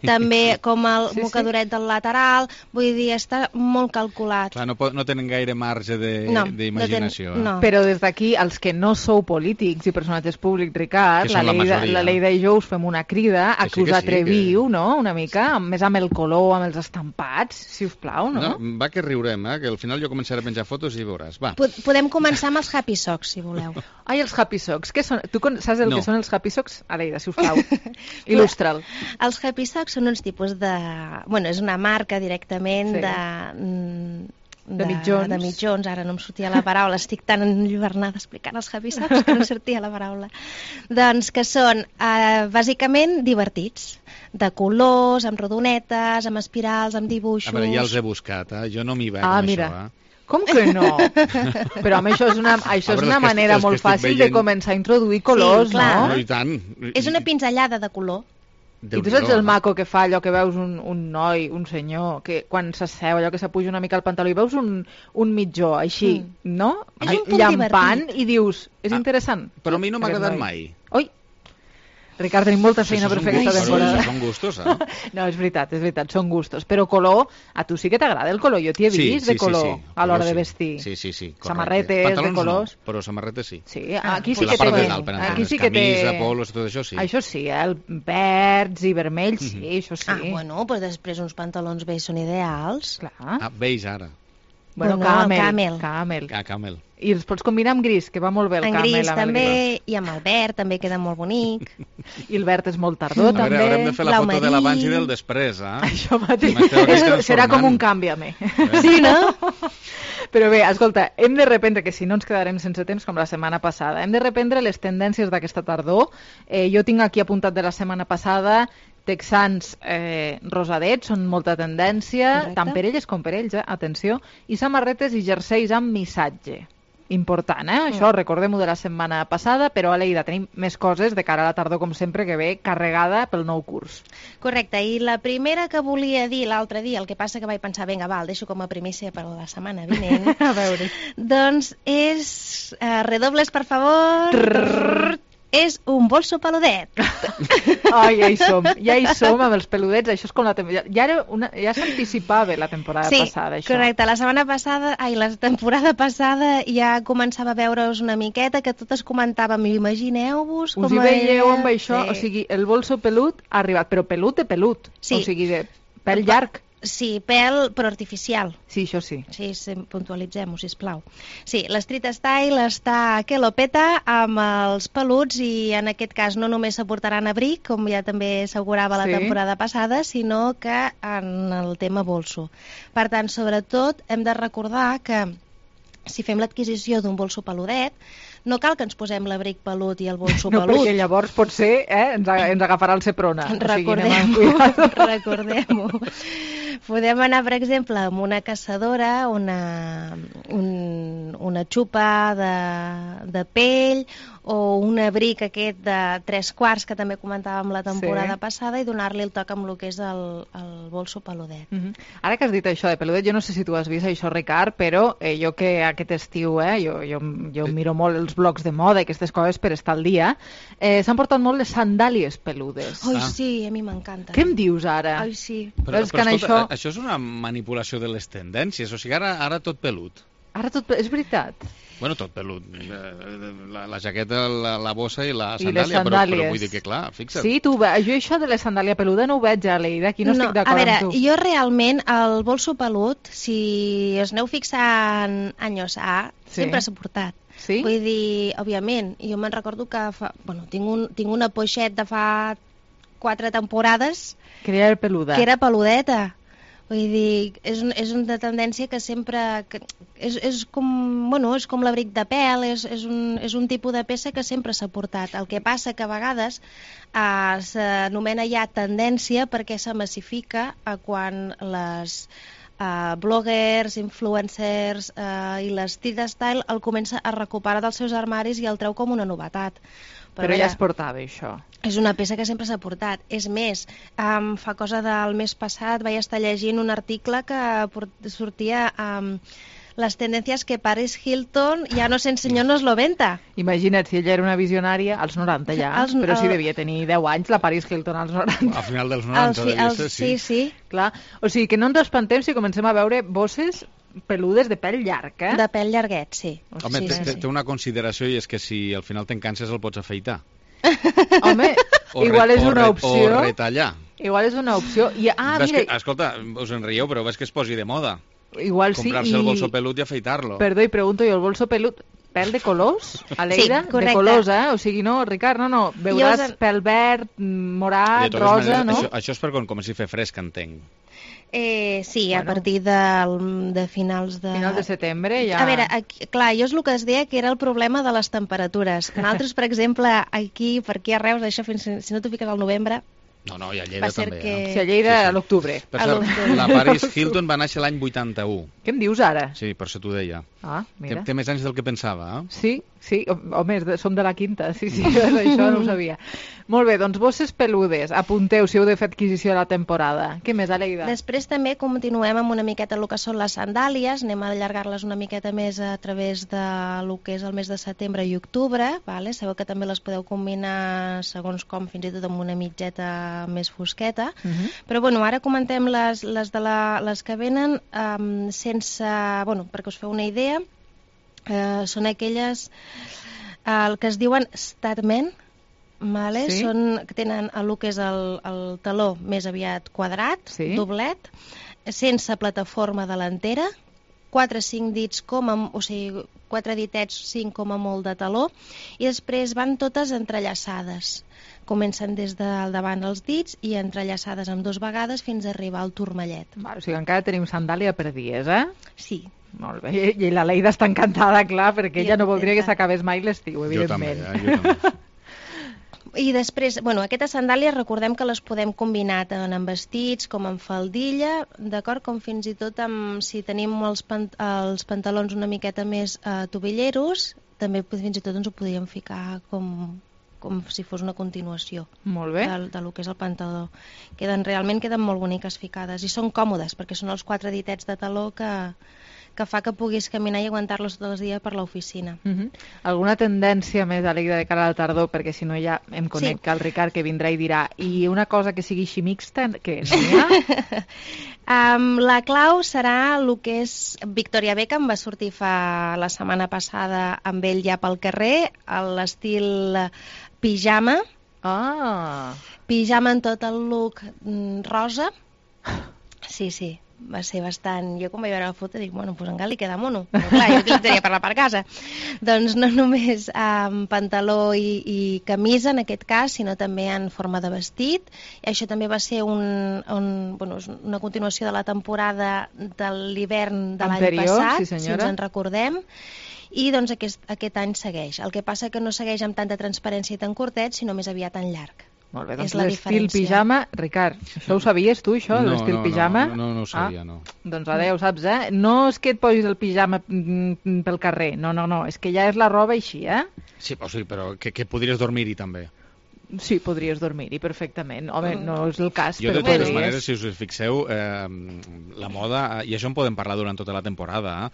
S28: també com el mocadoret del lateral, vull dir, està molt calculat.
S10: Clar, no tenen gaire marge d'imaginació.
S28: No.
S3: Però des d'aquí, els que no sou polítics i personatges públics, Ricard, la Leida i jo us fem una crida a que us atreviu, no?, una mica, més amb el color, amb els estampats, si us plau, no?
S10: Va que riurem, que al final jo començaré a penjar fotos i veuràs. Va.
S28: Podem començar amb els Happy Socks, si voleu.
S3: Ai, els Happy Socks, què són? Tu saps el que són els Happy Socks? Aleida, si us plau, il·lustra'l.
S28: Els Happy Socks són uns tipus de... Bueno, és una marca directament de mitjons. Ara no em sortia la paraula, estic tan enlluernada explicant els Happy Socks que no sortia la paraula. Doncs que són bàsicament divertits, de colors, amb rodonetes, amb espirals, amb dibuixos...
S10: A veure, ja els he buscat, jo no m'hi veig amb això,
S3: Com que no? Però home, això és una manera molt fàcil de començar a introduir colors, no?
S10: No, i tant.
S28: És una pinzellada de color.
S3: I tu saps el maco que fa allò que veus un noi, un senyor, que quan s'asseu, allò que s'apuja una mica al pantaló i veus un mitjó així, no?
S28: És un punt
S3: llampant i dius, és interessant.
S10: Però a mi no m'ha agradat mai.
S3: Oi! Ricard, tenim molta feina per fer aquesta temporada.
S10: Són gustos, eh?
S3: No, és veritat, són gustos. Però color, a tu sí que t'agrada el color. Jo t'hi he vist de color a l'hora de vestir.
S10: Sí.
S3: Samarretes de colors.
S10: No, però samarretes sí.
S3: Sí, aquí sí que té.
S10: Aquí sí que té. Camisa, polos, tot això sí.
S3: Això sí, el verds i vermells, sí, això sí.
S28: Bueno, però després uns pantalons beige són ideals.
S3: Clar.
S10: Beige ara.
S3: Bueno, camel. I els pots combinar amb gris, que va molt bé el camel.
S28: En gris també, i amb el verd també queda molt bonic.
S3: I el verd és molt tardor, també.
S10: Haurem de fer la foto de l'abans i del després, eh?
S3: Això mateix. Serà com un canvi-me.
S28: Sí, no?
S3: Però bé, escolta, hem de reprendre, que si no ens quedarem sense temps com la setmana passada, hem de reprendre les tendències d'aquesta tardor. Jo tinc aquí apuntat de la setmana passada texans rosadets, són molta tendència, tant per elles com per ells, atenció, i samarretes i jerseis amb missatge. Important, això, recordem-ho de la setmana passada, però Aleida, tenim més coses de cara a la tardor, com sempre, que ve carregada pel nou curs.
S28: Correcte, i la primera que volia dir l'altre dia, el que passa que vaig pensar, vinga, va, el deixo com a primícia per la setmana vinent.
S3: A veure.
S28: Doncs és, redobles, per favor... És un bolso peludet.
S3: Ai, ja hi som amb els peludets. Això és com la temporada. Ja s'anticipava la temporada passada, això.
S28: Sí, correcte. La temporada passada ja començava a veure's una miqueta, que totes comentàvem, imagineu-vos com...
S3: Us hi veieu amb això? O sigui, el bolso pelut ha arribat, però pelut de pelut.
S28: Sí.
S3: O sigui, de pèl llarg.
S28: Sí, pèl, però artificial.
S3: Sí, això sí.
S28: Sí, puntualitzem-ho, sisplau. Sí, l'Street Style està que lo peta amb els peluts i en aquest cas no només s'aportaran abric, com ja també assegurava la temporada passada, sinó que en el tema bolso. Per tant, sobretot, hem de recordar que si fem l'adquisició d'un bolso peludet, no cal que ens posem l'abric pelut i el bolso pelut.
S3: No, perquè llavors potser ens agafarà el Seprona.
S28: Recordem-ho. Podem anar, per exemple, amb una caçadora, una xupa de pell o un abric aquest de 3/4 que també comentàvem la temporada passada i donar-li el toc amb el que és el bolso peludet.
S3: Ara que has dit això de peludet, jo no sé si tu has vist això, Ricard, però jo que aquest estiu, jo miro molt els blogs de moda i aquestes coses per estar al dia, s'han portat molt les sandàlies peludes.
S28: Ai, sí, a mi m'encanta.
S3: Què em dius ara?
S28: Ai, sí.
S10: Però escolta, això és una manipulació de les tendències, o sigui, ara tot pelut.
S3: Ara tot pelut, és veritat.
S10: Bueno, tot pelut. La jaqueta, la bossa i la sandàlia, però vull dir que, clar, fixa't.
S3: Sí, jo això de la sandàlia peluda no ho veig, Aleida, aquí no estic d'acord amb tu.
S28: A veure, jo realment el bolso pelut, si us aneu fixant anys A, sempre s'ha portat.
S3: Sí?
S28: Vull dir, òbviament, jo me'n recordo que tinc una poixet de fa 4 temporades
S3: que era peluda.
S28: Que era peludeta. Vull dir, és una tendència que sempre... És com l'abric de pèl, és un tipus de peça que sempre s'ha portat. El que passa que a vegades s'anomena ja tendència perquè se massifica quan les bloggers, influencers i la street style el comença a recuperar dels seus armaris i el treu com una novetat.
S3: Però ja es portava, això.
S28: És una peça que sempre s'ha portat. És més, fa cosa del mes passat vaig estar llegint un article que sortia les tendències que Paris Hilton ja no s'ensenyó en els 90.
S3: Imagina't, si ella era una visionària, als 90 ja, però sí devia tenir 10 anys la Paris Hilton als 90.
S10: Al final dels 90 devia ser,
S28: sí.
S3: Clar. O sigui que no ens espantem si comencem a veure bosses peludes de pèl llarg, eh?
S28: De pèl llarguet, sí.
S10: Home, té una consideració i és que si al final te'n canses el pots afeitar.
S3: Home, igual és una opció.
S10: O retallar.
S3: Igual és una opció.
S10: Escolta, us en rieu, però ves que es posi de moda.
S3: Igual sí.
S10: Comprarse el bolso pelut i afeitar-lo.
S3: Perdó, i pregunto jo, el bolso pelut, pèl de colors, Aleida?
S28: Sí, correcte.
S3: De colors, eh? O sigui, no, Ricard, no. Veuràs pèl verd, morat, rosa, no?
S10: Això és per quan comenci a fer fresc, entenc.
S28: Sí, a partir de finals de...
S3: Final de setembre ja...
S28: A veure, clar, jo és el que es deia que era el problema de les temperatures. Nosaltres, per exemple, aquí a Reus, això si no t'ho fiques al novembre...
S10: No, i a Lleida també.
S3: Sí, a Lleida a l'octubre.
S10: Per cert, la Paris Hilton va néixer l'any 81.
S3: Què em dius ara?
S10: Sí, per això t'ho deia.
S3: Ah, mira.
S10: Té més anys del que pensava, eh?
S3: Sí, home, som de la quinta, sí, això no ho sabia. Molt bé, doncs bosses peludes, apunteu si heu de fer adquisició de la temporada. Què més, Aleida?
S28: Després també continuem amb una miqueta el que són les sandàlies, anem a allargar-les una miqueta més a través de lo que és el mes de setembre i octubre, vale? Sabeu que també les podeu combinar segons com, fins i tot amb una mitgeta més fosqueta, però bueno, ara comentem les que venen sense, bueno, perquè us feu una idea, són aquelles el que es diuen Statman, vale? Sí? Que tenen el que és el taló més aviat quadrat, sí? Doblet, sense plataforma delantera, 4-5 dits o sigui, 4 ditets, 5 com a molt de taló, i després van totes entrellaçades. Comencen des del davant els dits i entrellaçades amb 2 vegades fins a arribar al turmallet.
S3: O sigui, encara tenim sandàlia per dies, eh?
S28: Sí.
S3: Molt bé, i la Leida està encantada, clar, perquè ella no voldria que s'acabés mai l'estiu, evidentment.
S10: Jo també.
S28: I després, bueno, aquestes sandàlies recordem que les podem combinar tant amb vestits com amb faldilla, d'acord, com fins i tot si tenim els pantalons una miqueta més tobilleros, també fins i tot ens ho podríem ficar com si fos una continuació.
S3: Molt bé.
S28: De lo que és el pantaló. Realment queden molt boniques ficades i són còmodes perquè són els 4 ditets de taló que fa que puguis caminar i aguantar-los tot el dia per l'oficina.
S3: Alguna tendència més, Aleida, de cara a la tardor? Perquè si no ja em conec el Ricard que vindrà i dirà i una cosa que sigui així mixta, què no hi ha?
S28: La clau serà el que és Victoria Beckham, va sortir la setmana passada amb ell ja pel carrer, l'estil pijama. Pijama en tot el look rosa. Sí. Va ser bastant... Jo quan vaig veure la foto dic, bueno, doncs encara li queda mono. Però clar, jo utilitzaria per la per casa. Doncs no només pantaló i camisa en aquest cas, sinó també en forma de vestit. I això també va ser una continuació de la temporada de l'hivern de l'any passat, si ens en recordem. I doncs aquest any segueix. El que passa que no segueix amb tanta transparència i tan curtet, sinó més aviat en llarg.
S3: Molt bé, doncs l'estil pijama, Ricard, això ho sabies tu, això, l'estil pijama?
S10: No ho sabia, no.
S3: Doncs ara ja ho saps, eh? No és que et posis el pijama pel carrer, no, és que ja és la roba així, eh?
S10: Sí, però que podries dormir-hi també.
S3: Sí, podries dormir-hi perfectament. Home, no és el cas,
S10: però podries. Jo, de totes maneres, si us fixeu, la moda, i això en podem parlar durant tota la temporada,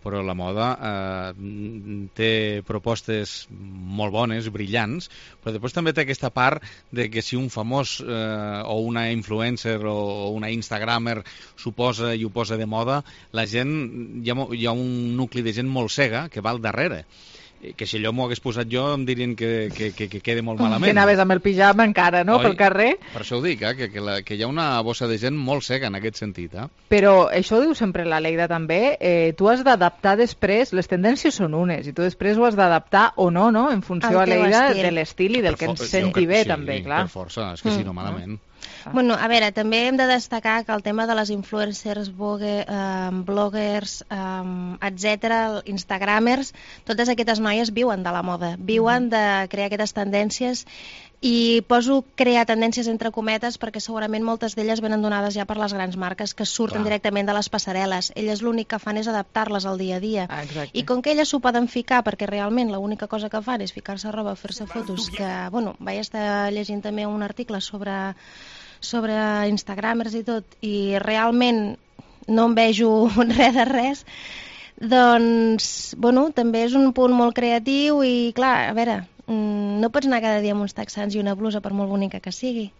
S10: però la moda té propostes molt bones, brillants, però després també té aquesta part de que si un famós o una influencer o una instagramer s'ho posa i ho posa de moda, la gent, hi ha un nucli de gent molt cega que va al darrere. que si allò m'ho hagués posat jo em dirien que quede molt malament.
S3: Que anaves amb el pijama encara, no?, pel carrer.
S10: Per això ho dic, que hi ha una bossa de gent molt seca en aquest sentit.
S3: Però això ho diu sempre la Leida també, tu has d'adaptar després, les tendències són unes, i tu després ho has d'adaptar o no, en funció a Leida de l'estil i del que ens senti bé, també, clar.
S10: Per força, és que si no, malament.
S28: Bueno, a veure, també hem de destacar que el tema de les influencers, bloggers, etc., instagramers, totes aquestes noies viuen de la moda, viuen de crear aquestes tendències, i poso crear tendències entre cometes perquè segurament moltes d'elles venen donades ja per les grans marques que surten directament de les passarel·les. Elles l'únic que fan és adaptar-les al dia a dia. I com que elles s'ho poden ficar, perquè realment l'única cosa que fan és ficar-se roba, fer-se fotos, que, bueno, vaig estar llegint també un article sobre Instagramers i tot, i realment no em vejo res de res, doncs, bueno, també és un punt molt creatiu i, clar, a veure, no pots anar cada dia amb uns texans i una blusa per molt bonica que sigui.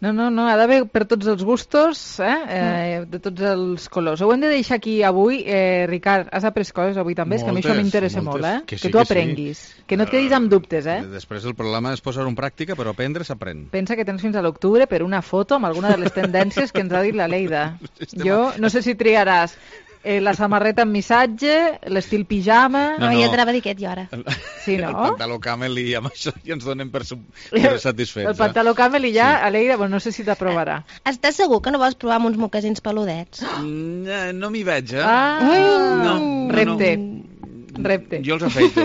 S3: No, ha d'haver per tots els gustos, de tots els colors. Ho hem de deixar aquí avui. Ricard, has après coses avui també? És que a mi això m'interessa molt, que tu aprenguis. Que no et quedis amb dubtes,
S10: Després el problema és posar-ho en pràctica, però aprendre s'aprèn.
S3: Pensa que tens fins a l'octubre per una foto amb alguna de les tendències que ens ha dit la Leida. Jo no sé si triaràs la samarreta amb missatge, l'estil pijama...
S28: No, jo t'anava a dir aquest, jo ara.
S3: Sí, no?
S10: El pantaló camel i amb això ja ens donem per satisfets.
S3: El pantaló camel i ja, Aleida, no sé si t'aprovarà.
S28: Estàs segur que no vols provar amb uns mocassins peludets?
S10: No m'hi veig,
S3: Repte.
S10: Jo els afeito.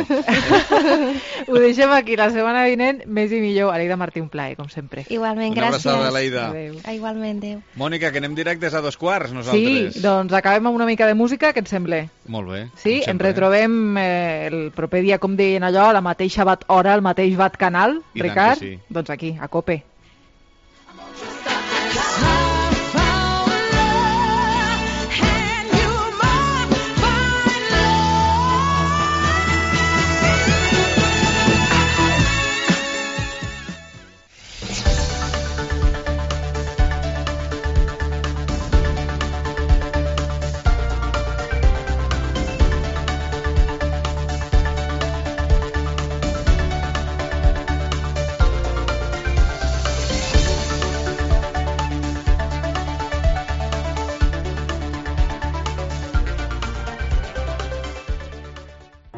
S3: Ho deixem aquí, la setmana vinent, més i millor. Aleida Martí, un plaer, com sempre.
S28: Igualment,
S10: gràcies. Una abraçada, Aleida.
S28: Igualment, adéu.
S10: Mònica, que anem directes a 2:15, nosaltres.
S3: Sí, doncs acabem amb una mica de música, què et sembla?
S10: Molt bé.
S3: Sí, ens retrobem el proper dia, com deien allò, a la mateixa hora, al mateix canal, Ricard?
S10: Sí.
S3: Doncs aquí, a COPE.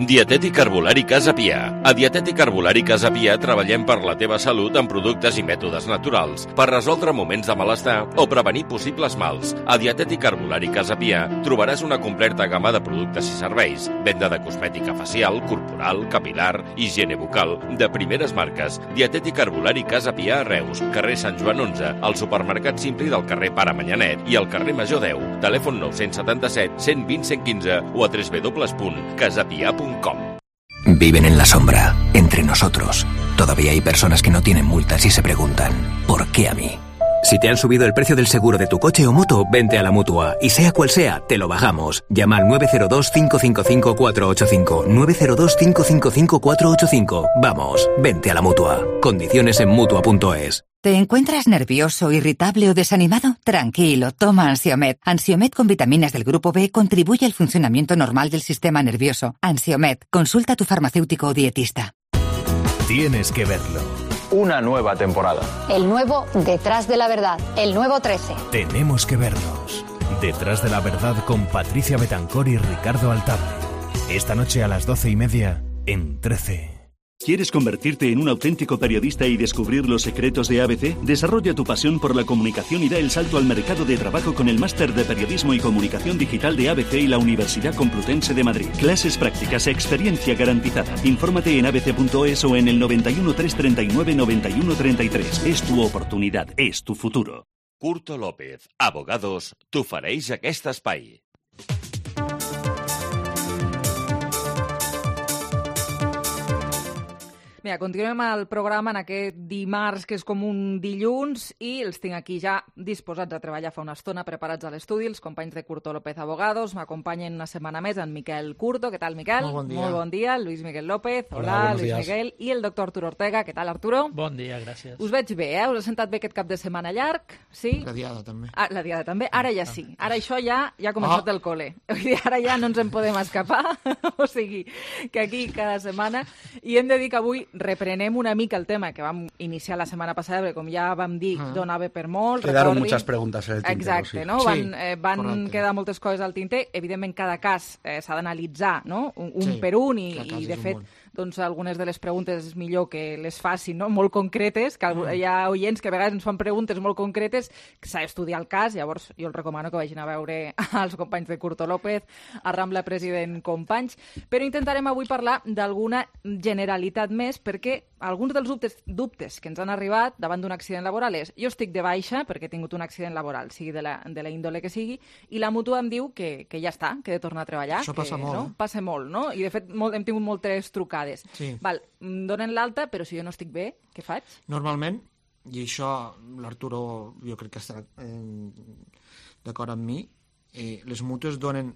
S4: Dietètic Herbolari Casa Pia. A Dietètic Herbolari Casa Pia treballem per la teva salut amb productes i mètodes naturals, per resoldre moments de malestar o prevenir possibles mals. A Dietètic Herbolari Casa Pia trobaràs una completa gamma de productes i serveis, venda de cosmètica facial, corporal, capilar, higiene bucal, de primeres marques. Dietètic Herbolari Casa Pia a Reus, carrer Sant Joan 11, al supermercat Simpli del carrer Pare Manyanet i al carrer Major 10. Telèfon 977 120 115 o a www.casapia.com.
S13: Viven en la sombra, entre nosotros. Todavía hay personas que no tienen multas y se preguntan, ¿por qué a mí? Si te han subido el precio del seguro de tu coche o moto, vente a la Mutua. Y sea cual sea, te lo bajamos. Llama al 902-555-485. 902-555-485. Vamos, vente a la Mutua. Condiciones en Mutua.es.
S16: ¿Te encuentras nervioso, irritable o desanimado? Tranquilo, toma Ansiomed. Ansiomed con vitaminas del grupo B contribuye al funcionamiento normal del sistema nervioso. Ansiomed, consulta a tu farmacéutico o dietista.
S17: Tienes que verlo.
S18: Una nueva temporada.
S19: El nuevo Detrás de la Verdad, el nuevo 13.
S17: Tenemos que vernos. Detrás de la Verdad con Patricia Betancor y Ricardo Altable. Esta noche a las 12:30 en 13.
S21: ¿Quieres convertirte en un auténtico periodista y descubrir los secretos de ABC? Desarrolla tu pasión por la comunicación y da el salto al mercado de trabajo con el Máster de Periodismo y Comunicación Digital de ABC y la Universidad Complutense de Madrid. Clases prácticas, experiencia garantizada. Infórmate en abc.es o en el 91 339 91 33. Es tu oportunidad, es tu futuro.
S22: Curto López, abogados, t'ofereix aquest espai.
S3: Mira, continuem el programa en aquest dimarts, que és com un dilluns, i els tinc aquí ja disposats a treballar fa una estona, preparats a l'estudi, els companys de Curto López Abogados. M'acompanyen una setmana més en Miquel Curto. Què tal, Miquel?
S6: Molt bon dia.
S3: Molt bon dia. Luis Miguel López. Hola Luis Miguel. I el doctor Arturo Ortega. Què tal, Arturo?
S6: Bon dia, gràcies.
S3: Us veig bé, Us ha sentat bé aquest cap de setmana llarg? Sí?
S6: La diada, també.
S3: Ah, la diada, també. Ara ja sí. Ara això ja ha començat el col·le. Ara ja no ens en podem escapar. O sigui, que aquí cada setmana. I hem de dir que avui reprenem una mica el tema que vam iniciar la setmana passada, perquè com ja vam dir, donava per molt.
S7: Quedaron muchas preguntas en el tintero.
S3: Exacte, no? Van quedar moltes coses al tinter. Evidentment, cada cas s'ha d'analitzar, no? Un per un, i de fet, doncs algunes de les preguntes és millor que les facin, no? Molt concretes, que hi ha oients que a vegades ens fan preguntes molt concretes, que s'ha d'estudiar el cas, llavors jo els recomano que vagin a veure els companys de Curto López, a Rambla President Companys, però intentarem avui parlar d'alguna generalitat més, perquè alguns dels dubtes que ens han arribat davant d'un accident laboral és: jo estic de baixa perquè he tingut un accident laboral, sigui de la índole que sigui, i la mútua em diu que ja està, que he de tornar a treballar.
S6: Això passa molt.
S3: No? Passa molt, no? I de fet hem tingut moltes trucades.
S6: Sí.
S3: Val, em donen l'alta, però si jo no estic bé, què faig?
S6: Normalment, i això l'Arturo jo crec que estarà d'acord amb mi, les mútues donen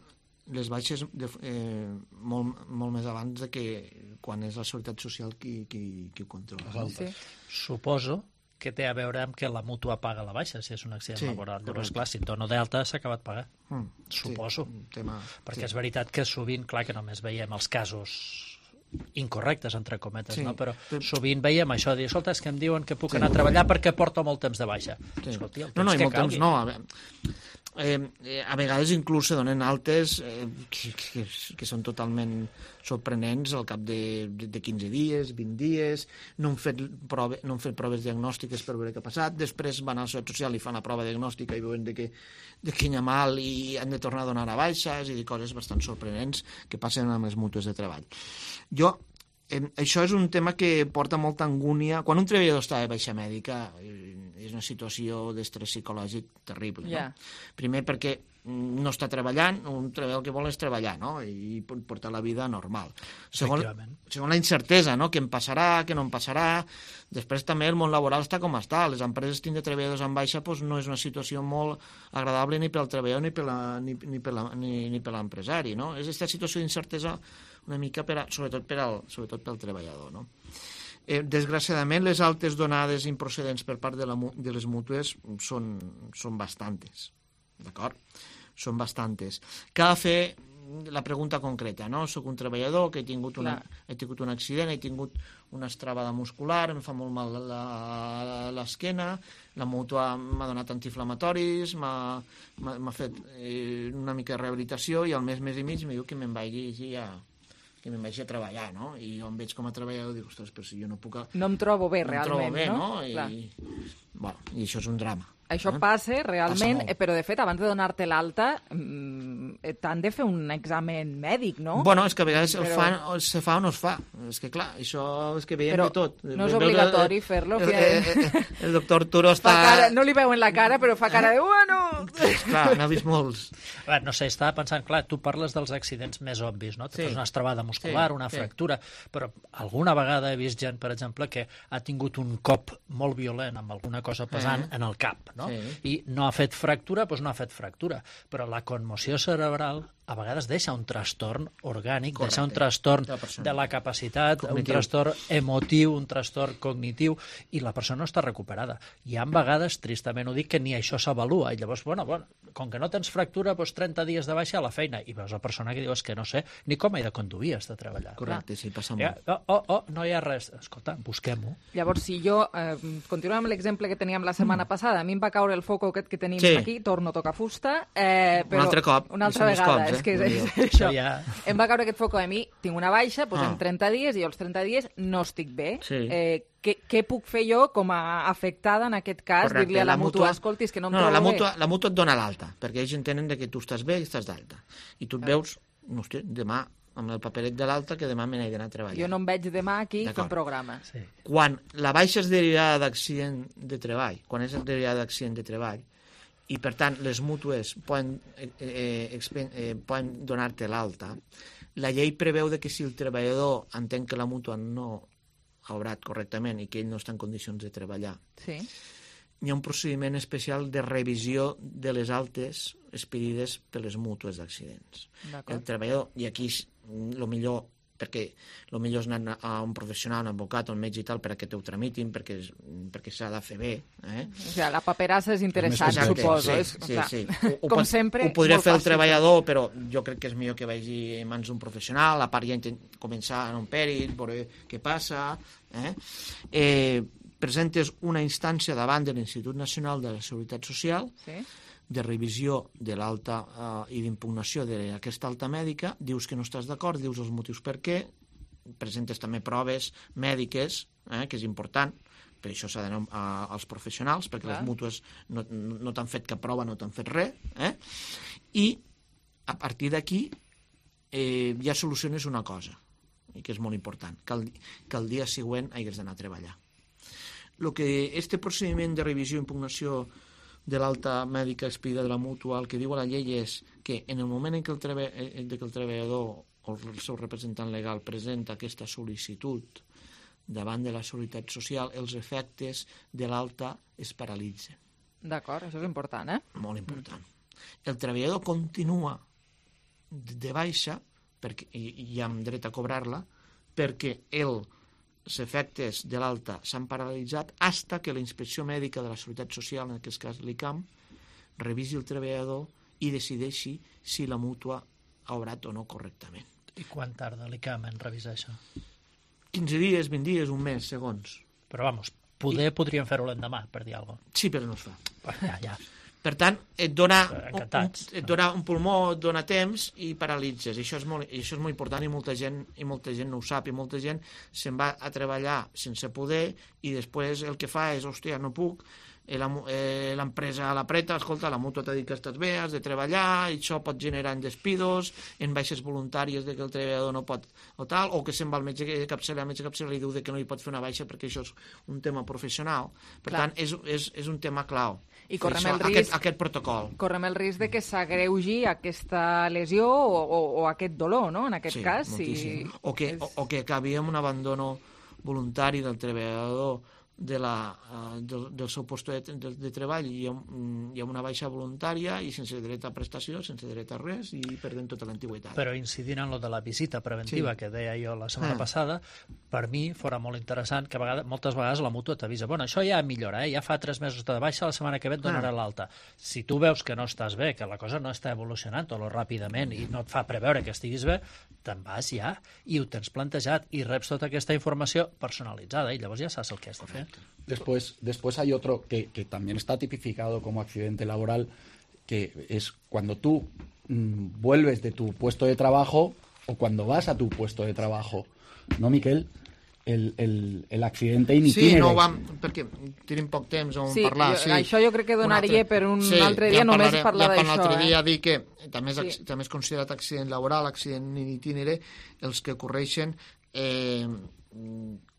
S6: les baixes molt més abans de que quan és la Seguretat Social qui ho controla.
S8: Sí. Suposo que té a veure amb que la mútua paga la baixa, si és un accident laboral. Llavors, clar, si et dono d'alta s'ha acabat pagant. Suposo. Perquè és veritat que sovint, clar, que només veiem els casos incorrectes, entre cometes, no? Però sovint veiem això, dir, escolta, és que em diuen que puc anar a treballar perquè porto molt temps de baixa. Escolti, el temps que calgui.
S6: No, a vegades inclús se donen altes que són totalment sorprenents al cap de 15 dies, 20 dies, no han fet proves diagnòstiques per veure què ha passat, després van a la Seguretat Social i fan la prova diagnòstica i veuen que hi ha mal i han de tornar a donar a baixa, és a dir, coses bastant sorprenents que passen amb les mútues de treball. Això és un tema que porta molta angúnia. Quan un treballador està de baixa mèdica és una situació d'estrès psicològic terrible. No? Primer perquè no està treballant, un treballador que vol és treballar, no? I portar la vida normal. Segon, la incertesa, no? Què em passarà, què no em passarà. Després també el món laboral està com està. Les empreses tindre treballadors en baixa no és una situació molt agradable ni pel treballador ni per l'empresari, no? És aquesta situació d'incertesa una mica sobretot pel treballador, no? Desgraciadament, les altes donades improcedents per part de les mútues són bastantes, d'acord? Són bastantes. Cal fer la pregunta concreta, no? Soc un treballador que he tingut un accident, he tingut una estrabada muscular, em fa molt mal l'esquena, la mútua m'ha donat antiinflamatoris, m'ha fet una mica de rehabilitació i al mes i mig em diu que me'n vagi a treballar, no? I jo em veig com a treballador i dic, ostres, però si jo no puc...
S3: No em trobo bé, realment, no?
S6: I això és un drama.
S3: Això passa realment, però de fet, abans de donar-te l'alta, t'han de fer un examen mèdic, no?
S6: Bueno, és que a vegades se fa o no es fa. És que clar, això és que veiem de tot.
S3: No és obligatori fer-lo.
S6: El doctor Arturo està...
S3: No li veuen la cara, però fa cara de... Bueno!
S6: Clar, n'ha vist molts.
S8: No sé, estava pensant, clar, tu parles dels accidents més obvis, no? Tens una estrabada muscular, una fractura, però alguna vegada he vist gent, per exemple, que ha tingut un cop molt violent amb alguna cosa pesant en el cap, no? I no ha fet fractura, doncs no ha fet fractura. Però la conmoció cerebral a vegades deixa un trastorn orgànic, deixa un trastorn de la capacitat, un trastorn emotiu, un trastorn cognitiu, i la persona no està recuperada. Hi ha vegades, tristament ho dic, que ni això s'avalua. I llavors, bueno, com que no tens fractura, doncs 30 dies de baixa a la feina. I veus la persona que diu, és que no sé ni com he de conduir, has de treballar.
S6: Correcte, sí, passa molt.
S8: No hi ha res. Escolta, busquem-ho.
S3: Llavors, si jo, continuem amb l'exemple que teníem la setmana passada, a mi em va caure el foco aquest que tenim aquí, torno a tocar fusta, però
S6: un altre cop,
S3: una altra vegada, és que és això. Em va caure aquest foco a mi, tinc una baixa, en 30 dies, i als 30 dies no estic bé. Què puc fer jo com a afectada en aquest cas? Dir-li a la mútua, escolti, és que no em trobo bé.
S6: La mútua et dona l'alta, perquè ells entenen que tu estàs bé i estàs d'alta. I tu et veus, no sé, demà amb el paperet de l'alta, que demà me n'he d'anar a treballar.
S3: Jo no em veig demà aquí fent programa.
S6: Quan la baixa és derivada d'accident de treball, i per tant les mútues poden donar-te l'alta, la llei preveu que si el treballador entén que la mútua no ha obrat correctament i que ell no està en condicions de treballar,
S3: hi
S6: ha un procediment especial de revisió de les altes expedides per les mútues d'accidents. El treballador, i aquí el millor, perquè el millor és anar a un professional, un advocat, un metge i tal, perquè te ho tramitin, perquè s'ha de fer bé.
S3: O sigui, la paperassa és interessant, suposo.
S6: Sí.
S3: Com sempre,
S6: ho podria fer el treballador, però jo crec que és millor que vagi en mans d'un professional, a part ja començar en un pèrit, veure què passa. Presentes una instància davant de l'Institut Nacional de la Seguretat Social de revisió de l'alta i d'impugnació d'aquesta alta mèdica, dius que no estàs d'acord, dius els motius per què, presentes també proves mèdiques, que és important, per això s'ha d'anar als professionals, perquè les mútues no t'han fet cap prova, no t'han fet res, i a partir d'aquí ja soluciones una cosa, i que és molt important, que el dia següent hagis d'anar a treballar. El que este procediment de revisió i impugnació de l'alta mèdica expedida de la mútua, el que diu la llei és que en el moment en què el treballador o el seu representant legal presenta aquesta sol·licitud davant de la Seguretat Social, els efectes de l'alta es paralitzen.
S3: D'acord, això és important,
S6: Molt important. El treballador continua de baixa, i amb dret a cobrar-la, perquè els efectes de l'alta s'han paralitzat fins que la Inspecció Mèdica de la Seguretat Social, en aquest cas l'ICAM, revisi el treballador i decideixi si la mútua ha obrat o no correctament.
S8: I quan tarda l'ICAM en revisar això?
S6: 15 dies, 20 dies, un mes, segons.
S8: Però, vamos, podríem fer-ho l'endemà, per dir alguna cosa.
S6: Sí, però no es fa.
S8: Ja.
S6: Per tant, et dona un pulmó, et dona temps i paralitzes. I això és molt important i molta gent no ho sap. I molta gent se'n va a treballar sense poder i després el que fa és, hòstia, no puc, l'empresa l'apreta, escolta, la mútua t'ha dit que estàs bé, has de treballar, i això pot generar en despidos, en baixes voluntàries de que el treballador no pot, o tal, o que se'n va al metge capçalera, el metge capçalera li diu que no hi pot fer una baixa perquè això és un tema professional. Per tant, és un tema clau.
S3: I correm el risc,
S6: aquest protocol.
S3: Correm el risc de que s'agreugi aquesta lesió o aquest dolor, no?, en aquest cas.
S6: Moltíssim. O que acabi amb un abandono voluntari del treballador del seu lloc de treball i amb una baixa voluntària i sense dret a prestació, sense dret a res i perdent tota l'antiguitat.
S8: Però incidint en lo de la visita preventiva que deia jo la setmana passada, per mi fora molt interessant que moltes vegades la mútua t'avisa, bueno, això ja millora, ja fa 3 mesos de baixa, la setmana que ve et donarà l'alta. Si tu veus que no estàs bé, que la cosa no està evolucionant o ràpidament i no et fa preveure que estiguis bé, te'n vas ja i ho tens plantejat i reps tota aquesta informació personalitzada i llavors ja saps el que has de fer.
S7: Después hay otro que también está tipificado como accidente laboral, que es cuando tú vuelves de tu puesto de trabajo o cuando vas a tu puesto de trabajo, ¿no, Miquel? El accidente in itinere.
S6: Sí, no perquè tenim poc temps on parlar.
S3: Sí, això jo crec que donaria per un altre dia només parlar d'això.
S6: Ja per l'altre dia dir que també és considerat accident laboral, accident in itinere, els que ocorreixen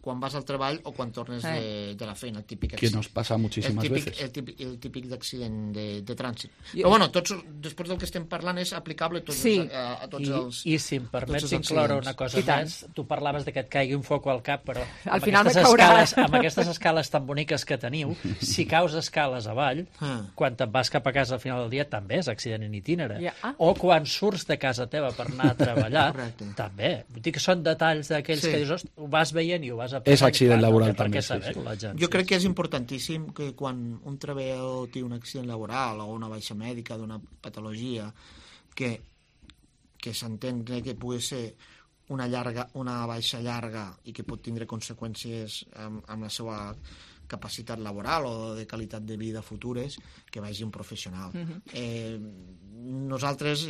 S6: quan vas al treball o quan tornes de la feina, el típic accident.
S7: Que nos pasa muchísimas veces.
S6: El típic d'accident de trànsit. Però bueno, després del que estem parlant és aplicable a tots els
S8: I si em permets incloure una cosa més, tu parlaves de que et caigui un foc al cap, però
S3: al final me caurà.
S8: Amb aquestes escales tan boniques que teniu, si caus escales avall, quan te'n vas cap a casa al final del dia, també és accident in itinere. O quan surts de casa teva per anar a treballar, també. Vull dir que són detalls d'aquells que dius, ho vas veient i ho vas
S7: és accident laboral també.
S6: Jo crec que és importantíssim que quan un treballador té un accident laboral o una baixa mèdica d'una patologia que s'entén que pugui ser una baixa llarga i que pot tindre conseqüències amb la seva capacitat laboral o de qualitat de vida futures, que vagi un professional. Nosaltres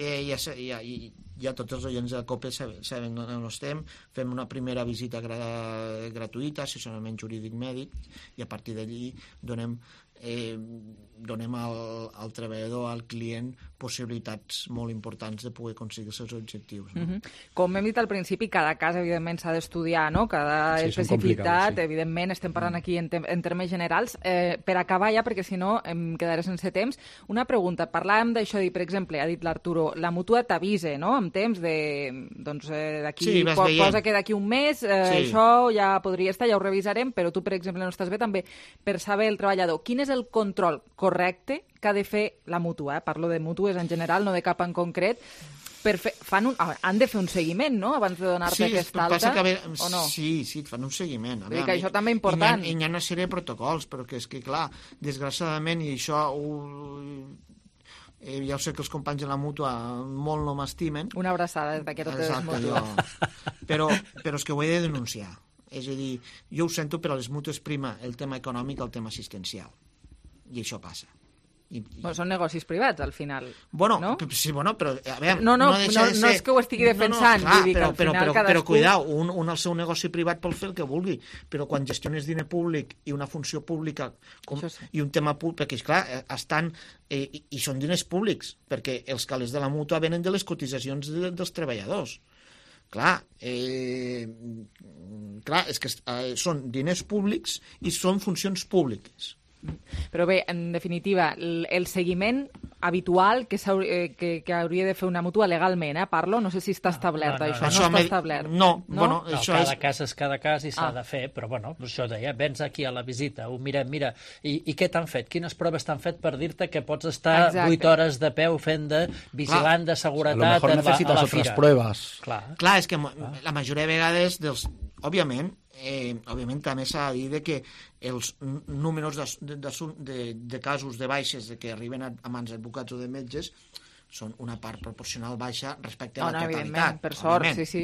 S6: ja tots els oients de la COPE saben on estem, fem una primera visita gratuïta, assessorament jurídic mèdic, i a partir d'allí donem al treballador, al client, possibilitats molt importants de poder aconseguir els seus objectius. No?
S3: Com hem dit al principi, cada cas, evidentment, s'ha d'estudiar, no? Cada especificitat, evidentment, estem parlant aquí en termes generals. Per acabar ja, perquè si no em quedaré sense temps, una pregunta. Parlàvem d'això, per exemple, ha dit l'Arturo, la mútua t'avisa, no?, amb temps d'aquí, posa que d'aquí un mes, això ja podria estar, ja ho revisarem, però tu, per exemple, no estàs bé també per saber el treballador. Quin és el control correcte que ha de fer la mútua? Parlo de mútues en general, no de cap en concret. Han de fer un seguiment, no?, abans de donar-te aquesta alta, o no?
S6: Sí, et fan un seguiment.
S3: Vull dir que això també és important.
S6: Hi ha una sèrie de protocols, però que és que, clar, desgraciadament, i això ja ho sé que els companys de la mútua molt no m'estimen.
S3: Una abraçada des d'aquí a totes les mútues.
S6: Però és que ho he de denunciar. És a dir, jo ho sento, però a les mútues prima el tema econòmic el tema assistencial. I això passa.
S3: Són negocis privats, al final.
S6: No? Sí, però a veure...
S3: No és que ho estigui defensant,
S6: però cuidao, un al seu negoci privat pot fer el que vulgui, però quan gestiones diner públic i una funció pública i un tema públic, perquè, esclar, estan... I són diners públics, perquè els calés de la mútua venen de les cotitzacions dels treballadors. Clar, és que són diners públics i són funcions públiques.
S3: Però bé, en definitiva, el seguiment habitual que hauria de fer una mútua legalment, parlo, no sé si està establert, això. No està establert.
S8: Cada cas és cada cas i s'ha de fer, però això deia, vens aquí a la visita, ho mirem, mira, i què t'han fet? Quines proves t'han fet per dir-te que pots estar 8 hores de peu fent de vigilant de seguretat
S7: a lo mejor necesitas otras pruebas.
S6: Clar, és que la majoria de vegades dels... Òbviament també s'ha de dir que els números de casos de baixes que arriben a mans d'advocats o de metges són una part proporcional baixa respecte a la totalitat.
S3: Evidentment, per sort, sí.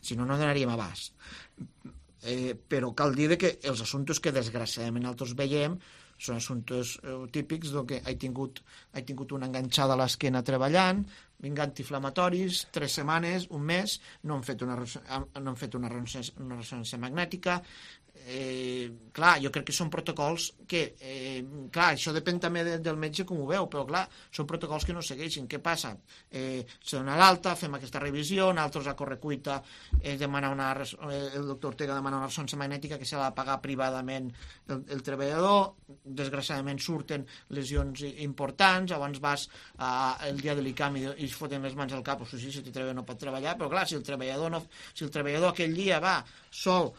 S6: Si no donaríem abast. Però cal dir que els assumptes que desgraciadament nosaltres veiem són assumptes típics que he tingut una enganxada a l'esquena treballant, vinc antiinflamatoris, 3 setmanes, un mes, no han fet una ressonància magnètica. Clar, jo crec que són protocols que, clar, això depèn també del metge com ho veu, però clar, són protocols que no segueixen. Què passa? Se dona l'alta, fem aquesta revisió, nosaltres a correcuita el doctor Ortega demana una ressonància magnètica que s'ha de pagar privadament el treballador, desgraciadament surten lesions importants, abans vas el dia de l'ICAM i es foten les mans al cap, o sigui, si el treballador no pot treballar, però clar, si el treballador aquell dia va sol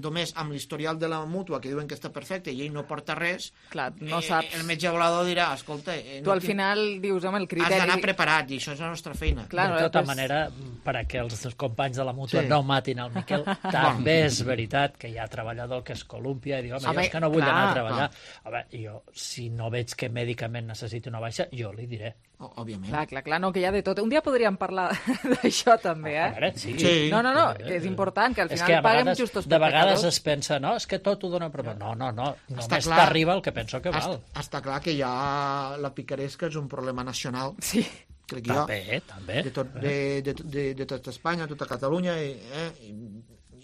S6: només amb l'historial de la mútua que diuen que està perfecte i ell no porta res,
S3: clar, no saps.
S6: El metge volador dirà, escolta...
S3: Tu al final dius, home, el criteri...
S6: Has d'anar preparat i això és la nostra feina.
S8: De tota manera, per a que els companys de la mútua no matin el Miquel, també és veritat que hi ha treballador que es columpia i diu, home, jo és que no vull anar a treballar. Home, jo, si no veig que mèdicament necessiti una baixa, jo li diré.
S6: Òbviament.
S3: Clar, no, que hi ha de tot. Un dia podríem parlar d'això també,
S8: Sí.
S3: No, que és important, que al final paguem justos per
S8: de vegades es pensa, no, és que tot ho dona per... No, només t'arriba el que penso que val.
S6: Està clar que ja la picaresca és un problema nacional.
S3: Sí.
S6: Crec jo.
S8: També.
S6: De tot Espanya, tota Catalunya,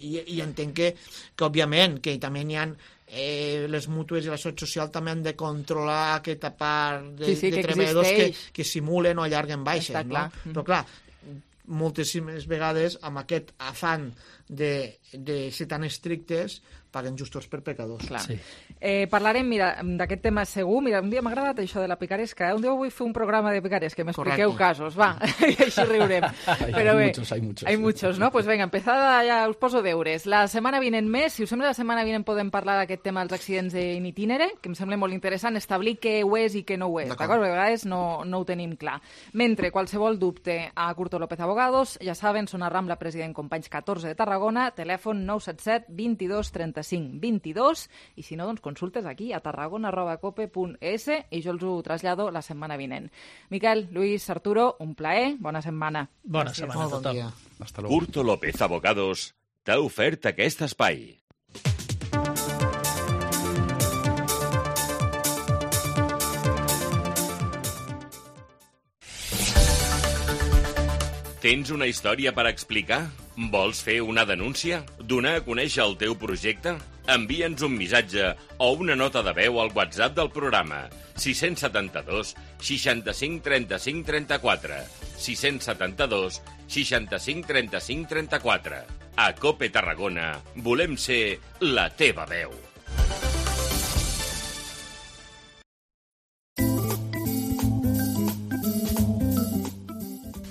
S6: i entenc que òbviament, que també n'hi ha les mútues i la Seguretat Social també han de controlar aquesta part de treballadors que simulen o allarguen baixes, no? Però clar, moltíssimes vegades amb aquest afany de ser tan estrictes paguen justos per pecadors.
S3: Sí. Parlarem, mira, d'aquest tema segur. Mira, un dia m'ha agradat això de la picaresca. Un dia vull fer un programa de picaresca, que m'expliqueu casos. Va, i així riurem. Però bé, hay muchos, ¿no? Pues venga, empezada, ja us poso deures. La setmana vinent més, si us sembla, la setmana vinent podem parlar d'aquest tema dels accidents in itinere, que em sembla molt interessant establir què ho és i què no ho és, d'acord? Perquè a vegades no ho tenim clar. Mentre qualsevol dubte a Curto López Abogados, ja saben, són a Rambla President Companys 14 de Tarragona, telèfon 977 22 35 22, i si no, doncs consultes aquí a tarragona@cope.es i jo els ho trasllado la setmana vinent. Miquel, Luis, Arturo, un plaer, bona setmana.
S8: Bona setmana a tothom.
S7: Hasta luego.
S4: Curto López Abogados t'ha ofert aquest espai. Tens una història per explicar? Vols fer una denúncia? Donar a conèixer el teu projecte? Envia'ns un missatge o una nota de veu al WhatsApp del programa 672 65 35 34 672 65 35 34. A COPE Tarragona volem ser la teva veu.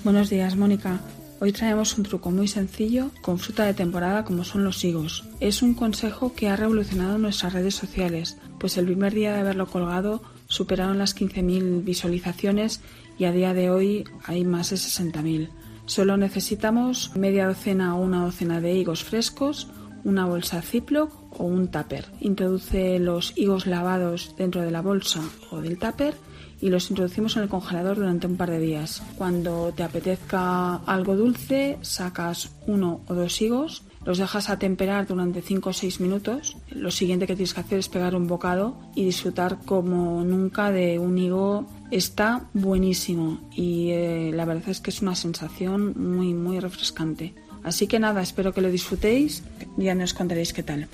S1: Buenos días, Mónica. Hoy traemos un truco muy sencillo con fruta de temporada como son los higos. Es un consejo que ha revolucionado nuestras redes sociales, pues el primer día de haberlo colgado superaron las 15.000 visualizaciones y a día de hoy hay más de 60.000. Solo necesitamos media docena o una docena de higos frescos, una bolsa Ziploc o un tupper. Introduce los higos lavados dentro de la bolsa o del tupper y los introducimos en el congelador durante un par de días. Cuando te apetezca algo dulce, sacas 1 o 2 higos, los dejas atemperar durante 5 o 6 minutos. Lo siguiente que tienes que hacer es pegar un bocado y disfrutar como nunca de un higo. Está buenísimo y la verdad es que es una sensación muy, muy refrescante. Así que nada, espero que lo disfrutéis y ya nos contaréis qué tal.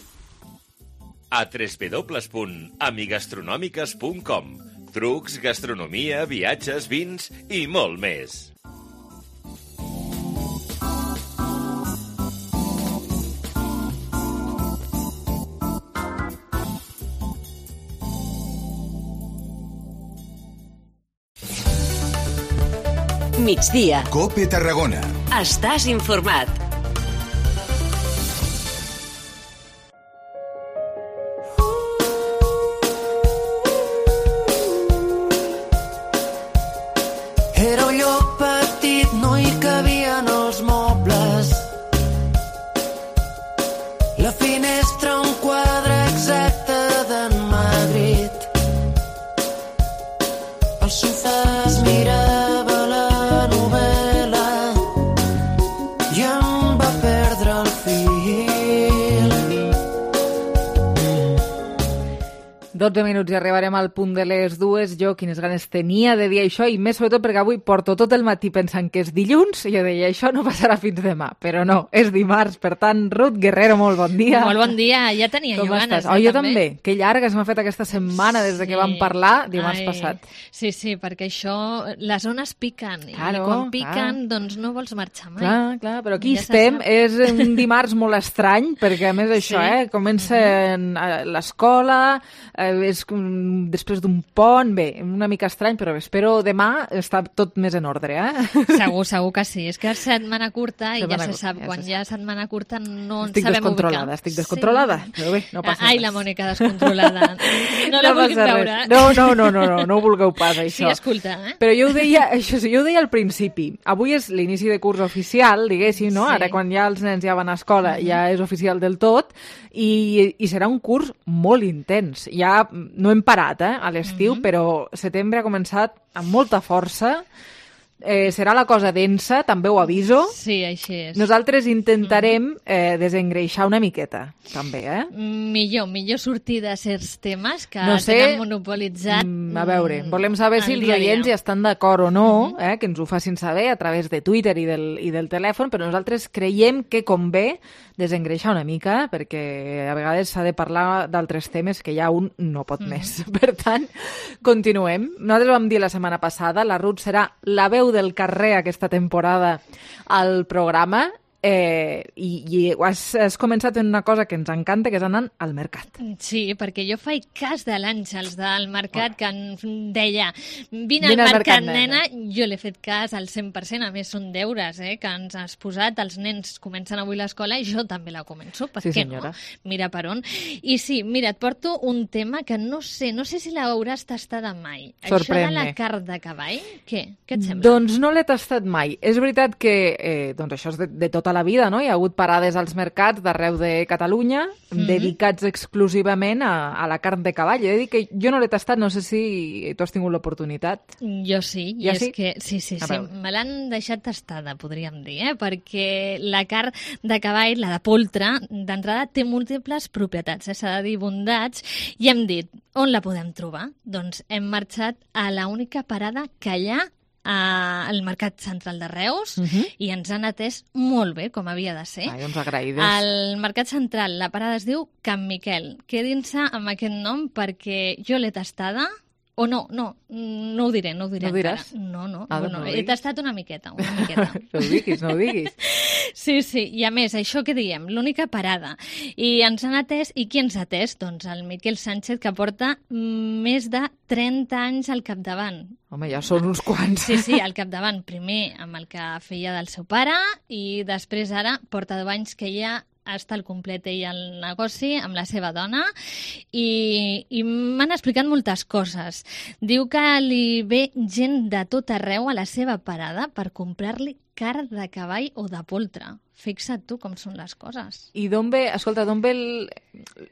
S4: A www.amigastronòmiques.com. Trucs, gastronomia, viatges, vins i molt més.
S9: Migdia.
S11: COPE Tarragona.
S9: Estàs informat.
S20: Era un lloc petit, no hi cabien els mobles. La finestra un quadre exacte d'en Madrid. El sofà es mirava la novel·la i em va perdre el fil.
S3: 12 minuts i arribarem al punt de les 2. Jo quines ganes tenia de dir això i més sobretot perquè avui porto tot el matí pensant que és dilluns i jo deia això no passarà fins demà, però no, és dimarts. Per tant, Ruth Guerrero, molt bon dia.
S23: Molt bon dia, ja tenia
S3: com
S23: jo ganes.
S3: Estàs? Jo també. Que llarga s'ha fet aquesta setmana des de que vam parlar dimarts passat.
S23: Sí, sí, perquè això, les ones piquen i quan piquen doncs no vols marxar mai.
S3: Clar, però aquí ja estem, és un dimarts molt estrany perquè a més això, comença l'escola, és després d'un pont, bé, una mica estrany, però espero demà està tot més en ordre,
S23: Segur que sí. És que és setmana curta i ja se sap, quan hi ha setmana curta no ens sabem ubicar.
S3: Estic descontrolada, però bé, no passa res.
S23: Ai, la Mònica descontrolada. No la vulguin veure.
S3: No ho vulgueu pas, això.
S23: Sí, escolta,
S3: Però jo ho deia al principi. Avui és l'inici de curs oficial, diguéssim, no? Ara quan ja els nens ja van a escola ja és oficial del tot i serà un curs molt intens. Ja no hem parat a l'estiu, però setembre ha començat amb molta força. Serà la cosa densa, també ho aviso.
S23: Sí, així és.
S3: Nosaltres intentarem desengreixar una miqueta, també,
S23: Millor sortir de certs temes que tenen monopolitzat.
S3: A veure, volem saber si els oients hi estan d'acord o no, que ens ho facin saber a través de Twitter i del telèfon, però nosaltres creiem que convé desengreixar una mica, perquè a vegades s'ha de parlar d'altres temes que ja un no pot més. Per tant, continuem. Nosaltres vam dir la setmana passada, la Ruth serà la veu del carrer aquesta temporada al programa i has començat en una cosa que ens encanta, que és anar al mercat.
S23: Sí, perquè jo faig cas de l'Àngels del mercat que em deia vine al mercat, nena. Jo l'he fet cas al 100%, a més són deures que ens has posat, els nens comencen avui l'escola i jo també la començo, per què no? Mira per on. I sí, mira, et porto un tema que no sé si l'hauràs tastada mai.
S3: Sorprèn-me.
S23: Això de la carn de cavall, què et sembla?
S3: Doncs no l'he tastat mai. És veritat que això és de tota la vida, no? Hi ha hagut parades als mercats d'arreu de Catalunya dedicats exclusivament a la carn de cavall. He de dir que jo no l'he tastat, no sé si tu has tingut l'oportunitat.
S23: Jo sí, i és que sí, me l'han deixat tastada, podríem dir, perquè la carn de cavall, la de poltre, d'entrada té múltiples propietats, s'ha de dir bondats, i hem dit, on la podem trobar? Doncs hem marxat a l'única parada que hi ha al Mercat Central de Reus i ens han atès molt bé, com havia de ser.
S3: Ai, doncs agraïdes.
S23: Al Mercat Central la parada es diu Can Miquel. Quedin-se amb aquest nom perquè jo l'he tastada. O no ho diré. No ho
S3: diràs?
S23: No.
S3: Ah,
S23: Bueno,
S3: no
S23: he tastat una miqueta.
S3: No ho diguis.
S23: Sí, i a més, això que diem, l'única parada. I ens han atès, i qui ens ha atès? Doncs el Miquel Sánchez, que porta més de 30 anys al capdavant.
S3: Home, ja són uns quants.
S23: Sí, al capdavant. Primer amb el que feia del seu pare i després ara porta 10 anys que ja està al complet ell al negoci amb la seva dona i m'han explicat moltes coses. Diu que li ve gent de tot arreu a la seva parada per comprar-li carn de cavall o de poltre. Fixa't tu com són les coses.
S3: I d'on ve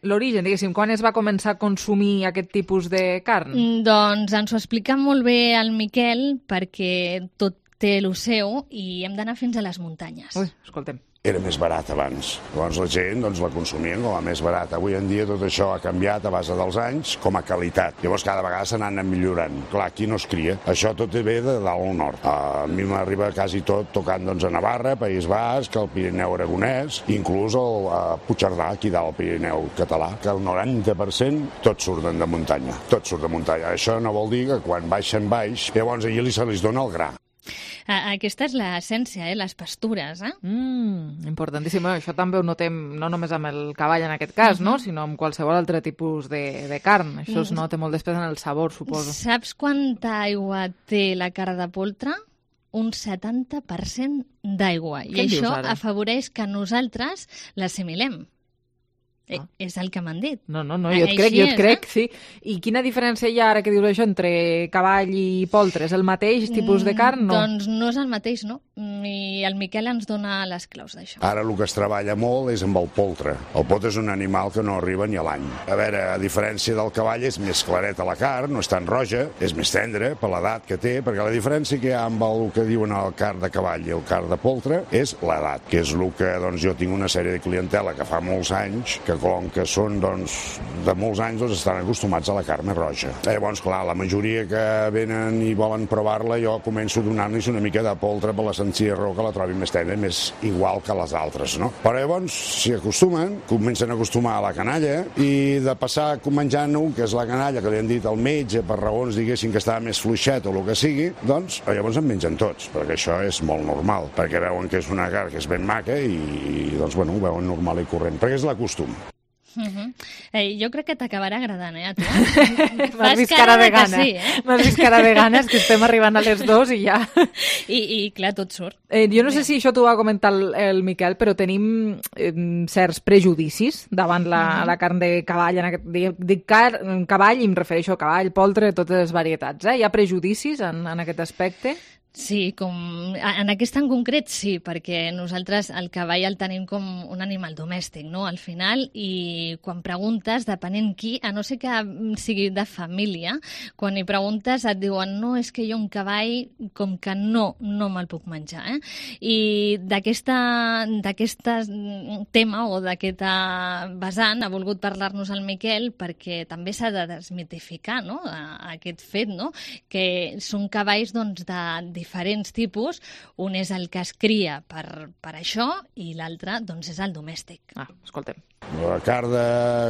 S3: l'origen, diguéssim? Quan es va començar a consumir aquest tipus de carn?
S23: Doncs ens ho explica molt bé el Miquel perquè tot té el seu i hem d'anar fins a les muntanyes.
S3: Ui, escoltem.
S2: Era més barat abans. Llavors la gent la consumien com a més barat. Avui en dia tot això ha canviat a base dels anys com a qualitat. Llavors cada vegada se n'han anat millorant. Clar, aquí no es cria. Això tot ve de dalt al nord. A mi m'arriba quasi tot tocant a Navarra, País Basc, el Pirineu aragonès, inclús a Puigcerdà, aquí dalt al Pirineu català, que el 90% tots surten de muntanya. Tot surt de muntanya. Això no vol dir que quan baixen baix, llavors allí se li dona el gra.
S23: Aquesta és l'essència, les pastures.
S3: Importantíssim. Això també ho notem no només amb el cavall en aquest cas, no? Sinó amb qualsevol altre tipus de carn. Això es nota molt després en el sabor, suposo.
S23: Saps quanta aigua té la carn de poltre? Un 70% d'aigua. I això afavoreix que nosaltres l'assimilem. És el que m'han dit.
S3: No, jo et crec, sí. I quina diferència hi ha, ara que dius això, entre cavall i poltre? És el mateix tipus de carn? No?
S23: Doncs no és el mateix, no. I el Miquel ens dona les claus d'això.
S2: Ara el que es treballa molt és amb el poltre. El poltre és un animal que no arriba ni a l'any. A veure, a diferència del cavall, és més clareta la carn, no és tan roja, és més tendre per l'edat que té, perquè la diferència que hi ha amb el que diuen el carn de cavall i el carn de poltre és l'edat, que és el que jo tinc una sèrie de clientela que fa molts anys, que com que són de molts anys estan acostumats a la carn més roja. Llavors, clar, la majoria que venen i volen provar-la, jo començo a donar-los una mica de poltre per la senzilla raó que la trobi més tendra, més igual que les altres, no? Però llavors s'hi acostumen, comencen a acostumar a la canalla i de passar menjant-ho, que és la canalla que li han dit al metge per raons, diguéssim, que estava més fluixet o el que sigui, doncs llavors en mengen tots, perquè això és molt normal, perquè veuen que és una carn que és ben maca i doncs, bueno, ho veuen normal i corrent, perquè és l'acostum.
S23: Jo crec que t'acabarà agradant, a tu.
S3: M'has vist cara de gana. Sí, M'has vist cara de ganes, que estem arribant a les 2 i ja...
S23: I clar, tot surt.
S3: Jo no sé si això t'ho va comentar el Miquel, però tenim certs prejudicis davant la carn de cavall. Dic cavall i em refereixo a cavall, poltre, totes les varietats. Hi ha prejudicis en aquest aspecte?
S23: Sí, en aquest en concret sí, perquè nosaltres el cavall el tenim com un animal domèstic, no?, al final, i quan preguntes, depenent qui, a no ser que sigui de família, quan hi preguntes et diuen no, és que jo un cavall com que no me'l puc menjar, I d'aquest tema o d'aquest vessant ha volgut parlar-nos el Miquel perquè també s'ha de desmitificar, no?, aquest fet, no?, que són cavalls doncs de diferents tipus, un és el que es cria per això i l'altre doncs és el domèstic.
S3: Escoltem.
S2: La carn de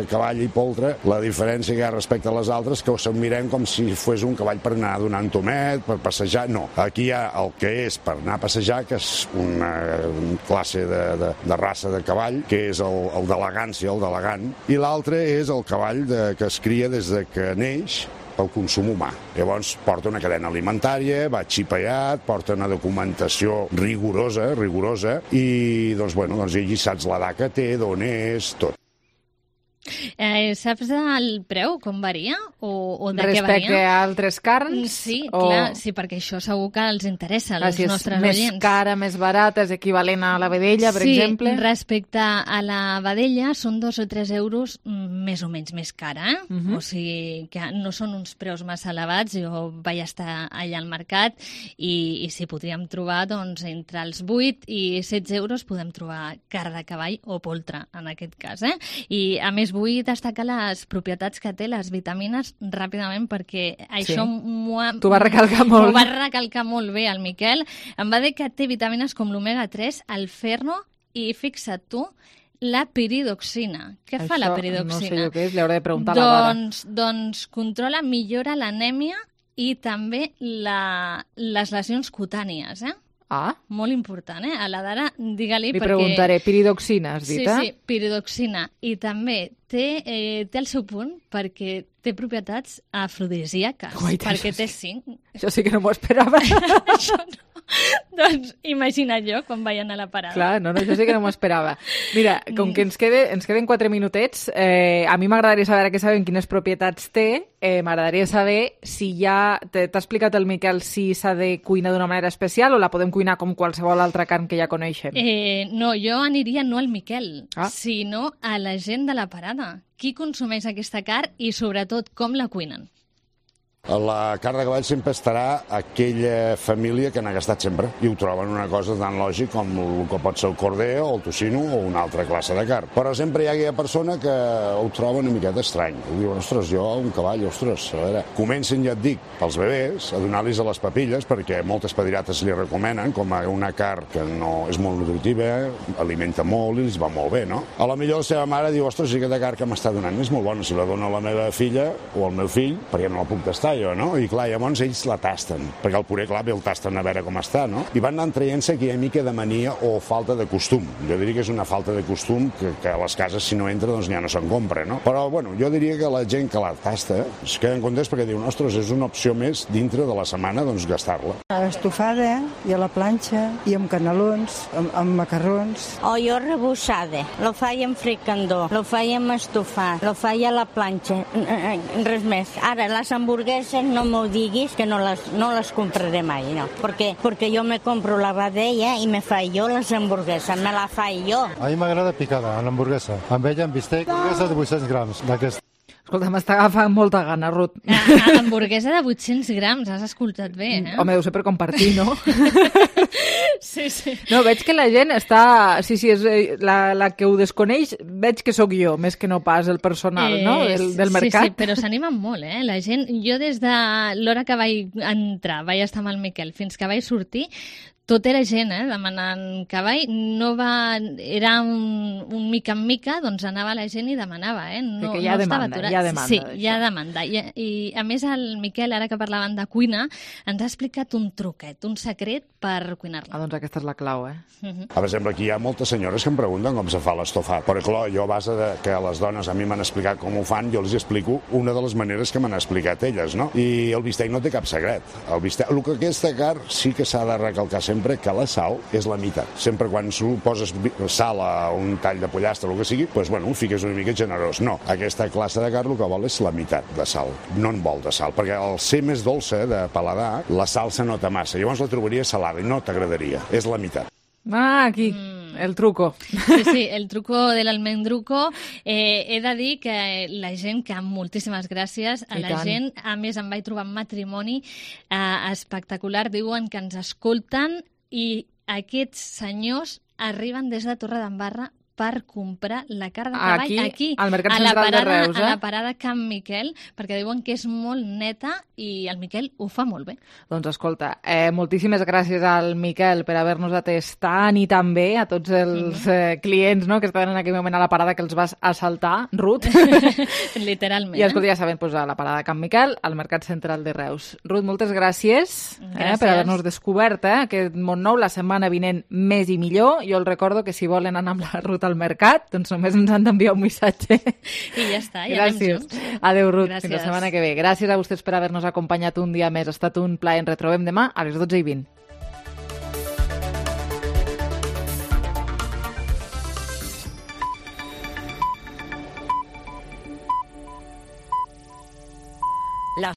S2: cavall i poltre, la diferència que hi ha respecte a les altres que se'n mirem com si fos un cavall per anar donant tomet, per passejar. No, aquí hi ha el que és per anar a passejar, que és una classe de raça de cavall, que és el d'elegància, el d'elegant, i l'altre és el cavall que es cria des de que neix pel consum humà. Llavors porta una cadena alimentària, va xipellat, porta una documentació rigorosa, i doncs, bueno, allí saps l'edat que té, d'on és, tot.
S23: Saps el preu, com varia? O de què varia?
S3: Respecte a altres carns?
S23: Sí, clar, sí, perquè això segur que els interessa als nostres oients.
S3: Més cara, més barata, és equivalent a la vedella, per exemple?
S23: Sí, respecte a la vedella són 2 o 3 euros més o menys més cara, O sigui que no són uns preus massa elevats. Jo vaig estar allà al mercat i sí, podríem trobar doncs entre els 8 i 16 euros podem trobar carn de cavall o poltre, en aquest cas, I a més vull destacar les propietats que té les vitamines ràpidament, perquè això
S3: t'ho va recalcar molt.
S23: M'ho va recalcar molt bé el Miquel. Em va dir que té vitamines com l'omega-3, el ferro i, fixa't tu, la piridoxina. Què fa la piridoxina?
S3: No sé jo què és, li hauré de preguntar a la Dara.
S23: Doncs controla, millora l'anèmia i també les lesions cutànies, molt important, A la Dara, digue-li, perquè...
S3: Li preguntaré, piridoxina, has dit,
S23: Sí, piridoxina. I també té el seu punt perquè té propietats afrodisíaques, perquè té zinc.
S3: Això sí que no m'ho esperava.
S23: Això no. Doncs imagina't jo quan vayan a la parada.
S3: Clar, no, això sí que no m'ho esperava. Mira, com que ens queden 4 minutets, a mi m'agradaria saber, que sabem quines propietats té, m'agradaria saber si ja t'ha explicat el Miquel si s'ha de cuinar d'una manera especial o la podem cuinar com qualsevol altra carn que ja coneixem.
S23: No, jo aniria no al Miquel, sinó a la gent de la parada. Qui consumeix aquesta carn i, sobretot, com la cuinen?
S2: La carn de cavall sempre estarà aquella família que n'ha gastat sempre i ho troben una cosa tan lògic com el que pot ser el corder o el tocino o una altra classe de carn. Però sempre hi ha aquella persona que ho troba una miqueta estrany. Diuen, ostres, jo un cavall, ostres, a veure, comencen, ja et dic, pels bebès a donar-los a les papilles, perquè moltes pediatres li recomenen com a una carn que no és molt nutritiva, alimenta molt i els va molt bé, no? A la millor la seva mare diu, ostres, aquesta carn que m'està donant és molt bona, si la dona a la meva filla o al meu fill, perquè no la puc tastar jo, no? I clar, llavors ells la tasten, perquè el puré, clar, el tasten a veure com està, no? I van anant traient-se aquella mica de mania o falta de costum. Jo diria que és una falta de costum que a les cases, si no entra, doncs ja no se'n compra, no? Però, bueno, jo diria que la gent que la tasta es queden contents perquè diuen, ostres, és una opció més dintre de la setmana, doncs gastar-la.
S5: Estofada i a la planxa i amb canelons, amb macarrons.
S11: O jo rebussada, lo faig en fricandó, lo faig en estofat, lo faig a la planxa, res més. Ara, les hamburgueses no m'ho diguis que no les compraré mai, no. Porque yo me compro la vedella i me faig jo les hamburgueses, me la faig jo.
S12: A mi m'agrada picada, a l'hamburguesa. Amb ella, amb bistec, hamburguesa de 800 grams d'aquesta.
S3: Escolta, m'està agafant molta gana, Ruth.
S23: Hamburguesa de 800 grams, has escoltat bé,
S3: Home, deu ser per compartir, no?
S23: Sí.
S3: No, veig que la gent està... Sí, és la que ho desconeix, veig que sóc jo, més que no pas el personal, no? Del mercat.
S23: Sí, però s'animen molt, La gent... Jo des de l'hora que vaig entrar, vaig estar amb el Miquel, fins que vaig sortir, tot era gent, demanant cavall. No va... Era un mica en mica, doncs anava la gent i demanava, No,
S3: que hi ha demanda, hi ha demanda.
S23: Sí, hi ha demanda. I a més el Miquel, ara que parlaven de cuina, ens ha explicat un truquet, un secret per cuinar-la.
S3: Doncs aquesta és la clau,
S2: Per exemple, aquí hi ha moltes senyores que em pregunten com se fa l'estofat. Però, clar, jo a base de que les dones a mi m'han explicat com ho fan, jo els explico una de les maneres que m'han explicat elles, no? I el bistec no té cap secret. El que aquesta carn sí que s'ha de recalcar sempre que la sal és la meitat. Sempre quan poses sal a un tall de pollastre o el que sigui, doncs, bueno, ho fiques una mica generós. No, aquesta classe de carn el que vol és la meitat de sal. No en vol de sal, perquè al ser més dolça de paladar, la sal se nota massa. Llavors la trobaria salada i no t'agradaria. És la meitat.
S3: Aquí, el truco.
S23: Sí, el truco de l'almendruco. He de dir que la gent, que moltíssimes gràcies a la gent, a més em vaig trobar en matrimoni espectacular, diuen que ens escolten i aquests senyors arriben des de Torredembarra per comprar la carn de cavall aquí
S3: al Mercat Central de Reus,
S23: a la parada Can Miquel, perquè diuen que és molt neta i el Miquel ho fa molt bé.
S3: Doncs escolta, moltíssimes gràcies al Miquel per haver-nos atès tant i tan bé, a tots els clients, no?, que estaven en aquell moment a la parada que els vas assaltar, Ruth.
S23: Literalment.
S3: I escolta, ja saben, a la parada Can Miquel, al Mercat Central de Reus. Ruth, moltes gràcies per haver-nos descobert aquest món nou. La setmana vinent més i millor. Jo els recordo que si volen anar amb la Ruth al mercat, doncs només ens han d'enviar un missatge.
S23: I ja està, ja anem junts.
S3: Adéu, Ruth, fins la setmana que ve. Gràcies a vostès per haver-nos acompanyat un dia més. Ha estat un plaer. Ens retrobem demà a les 12:20.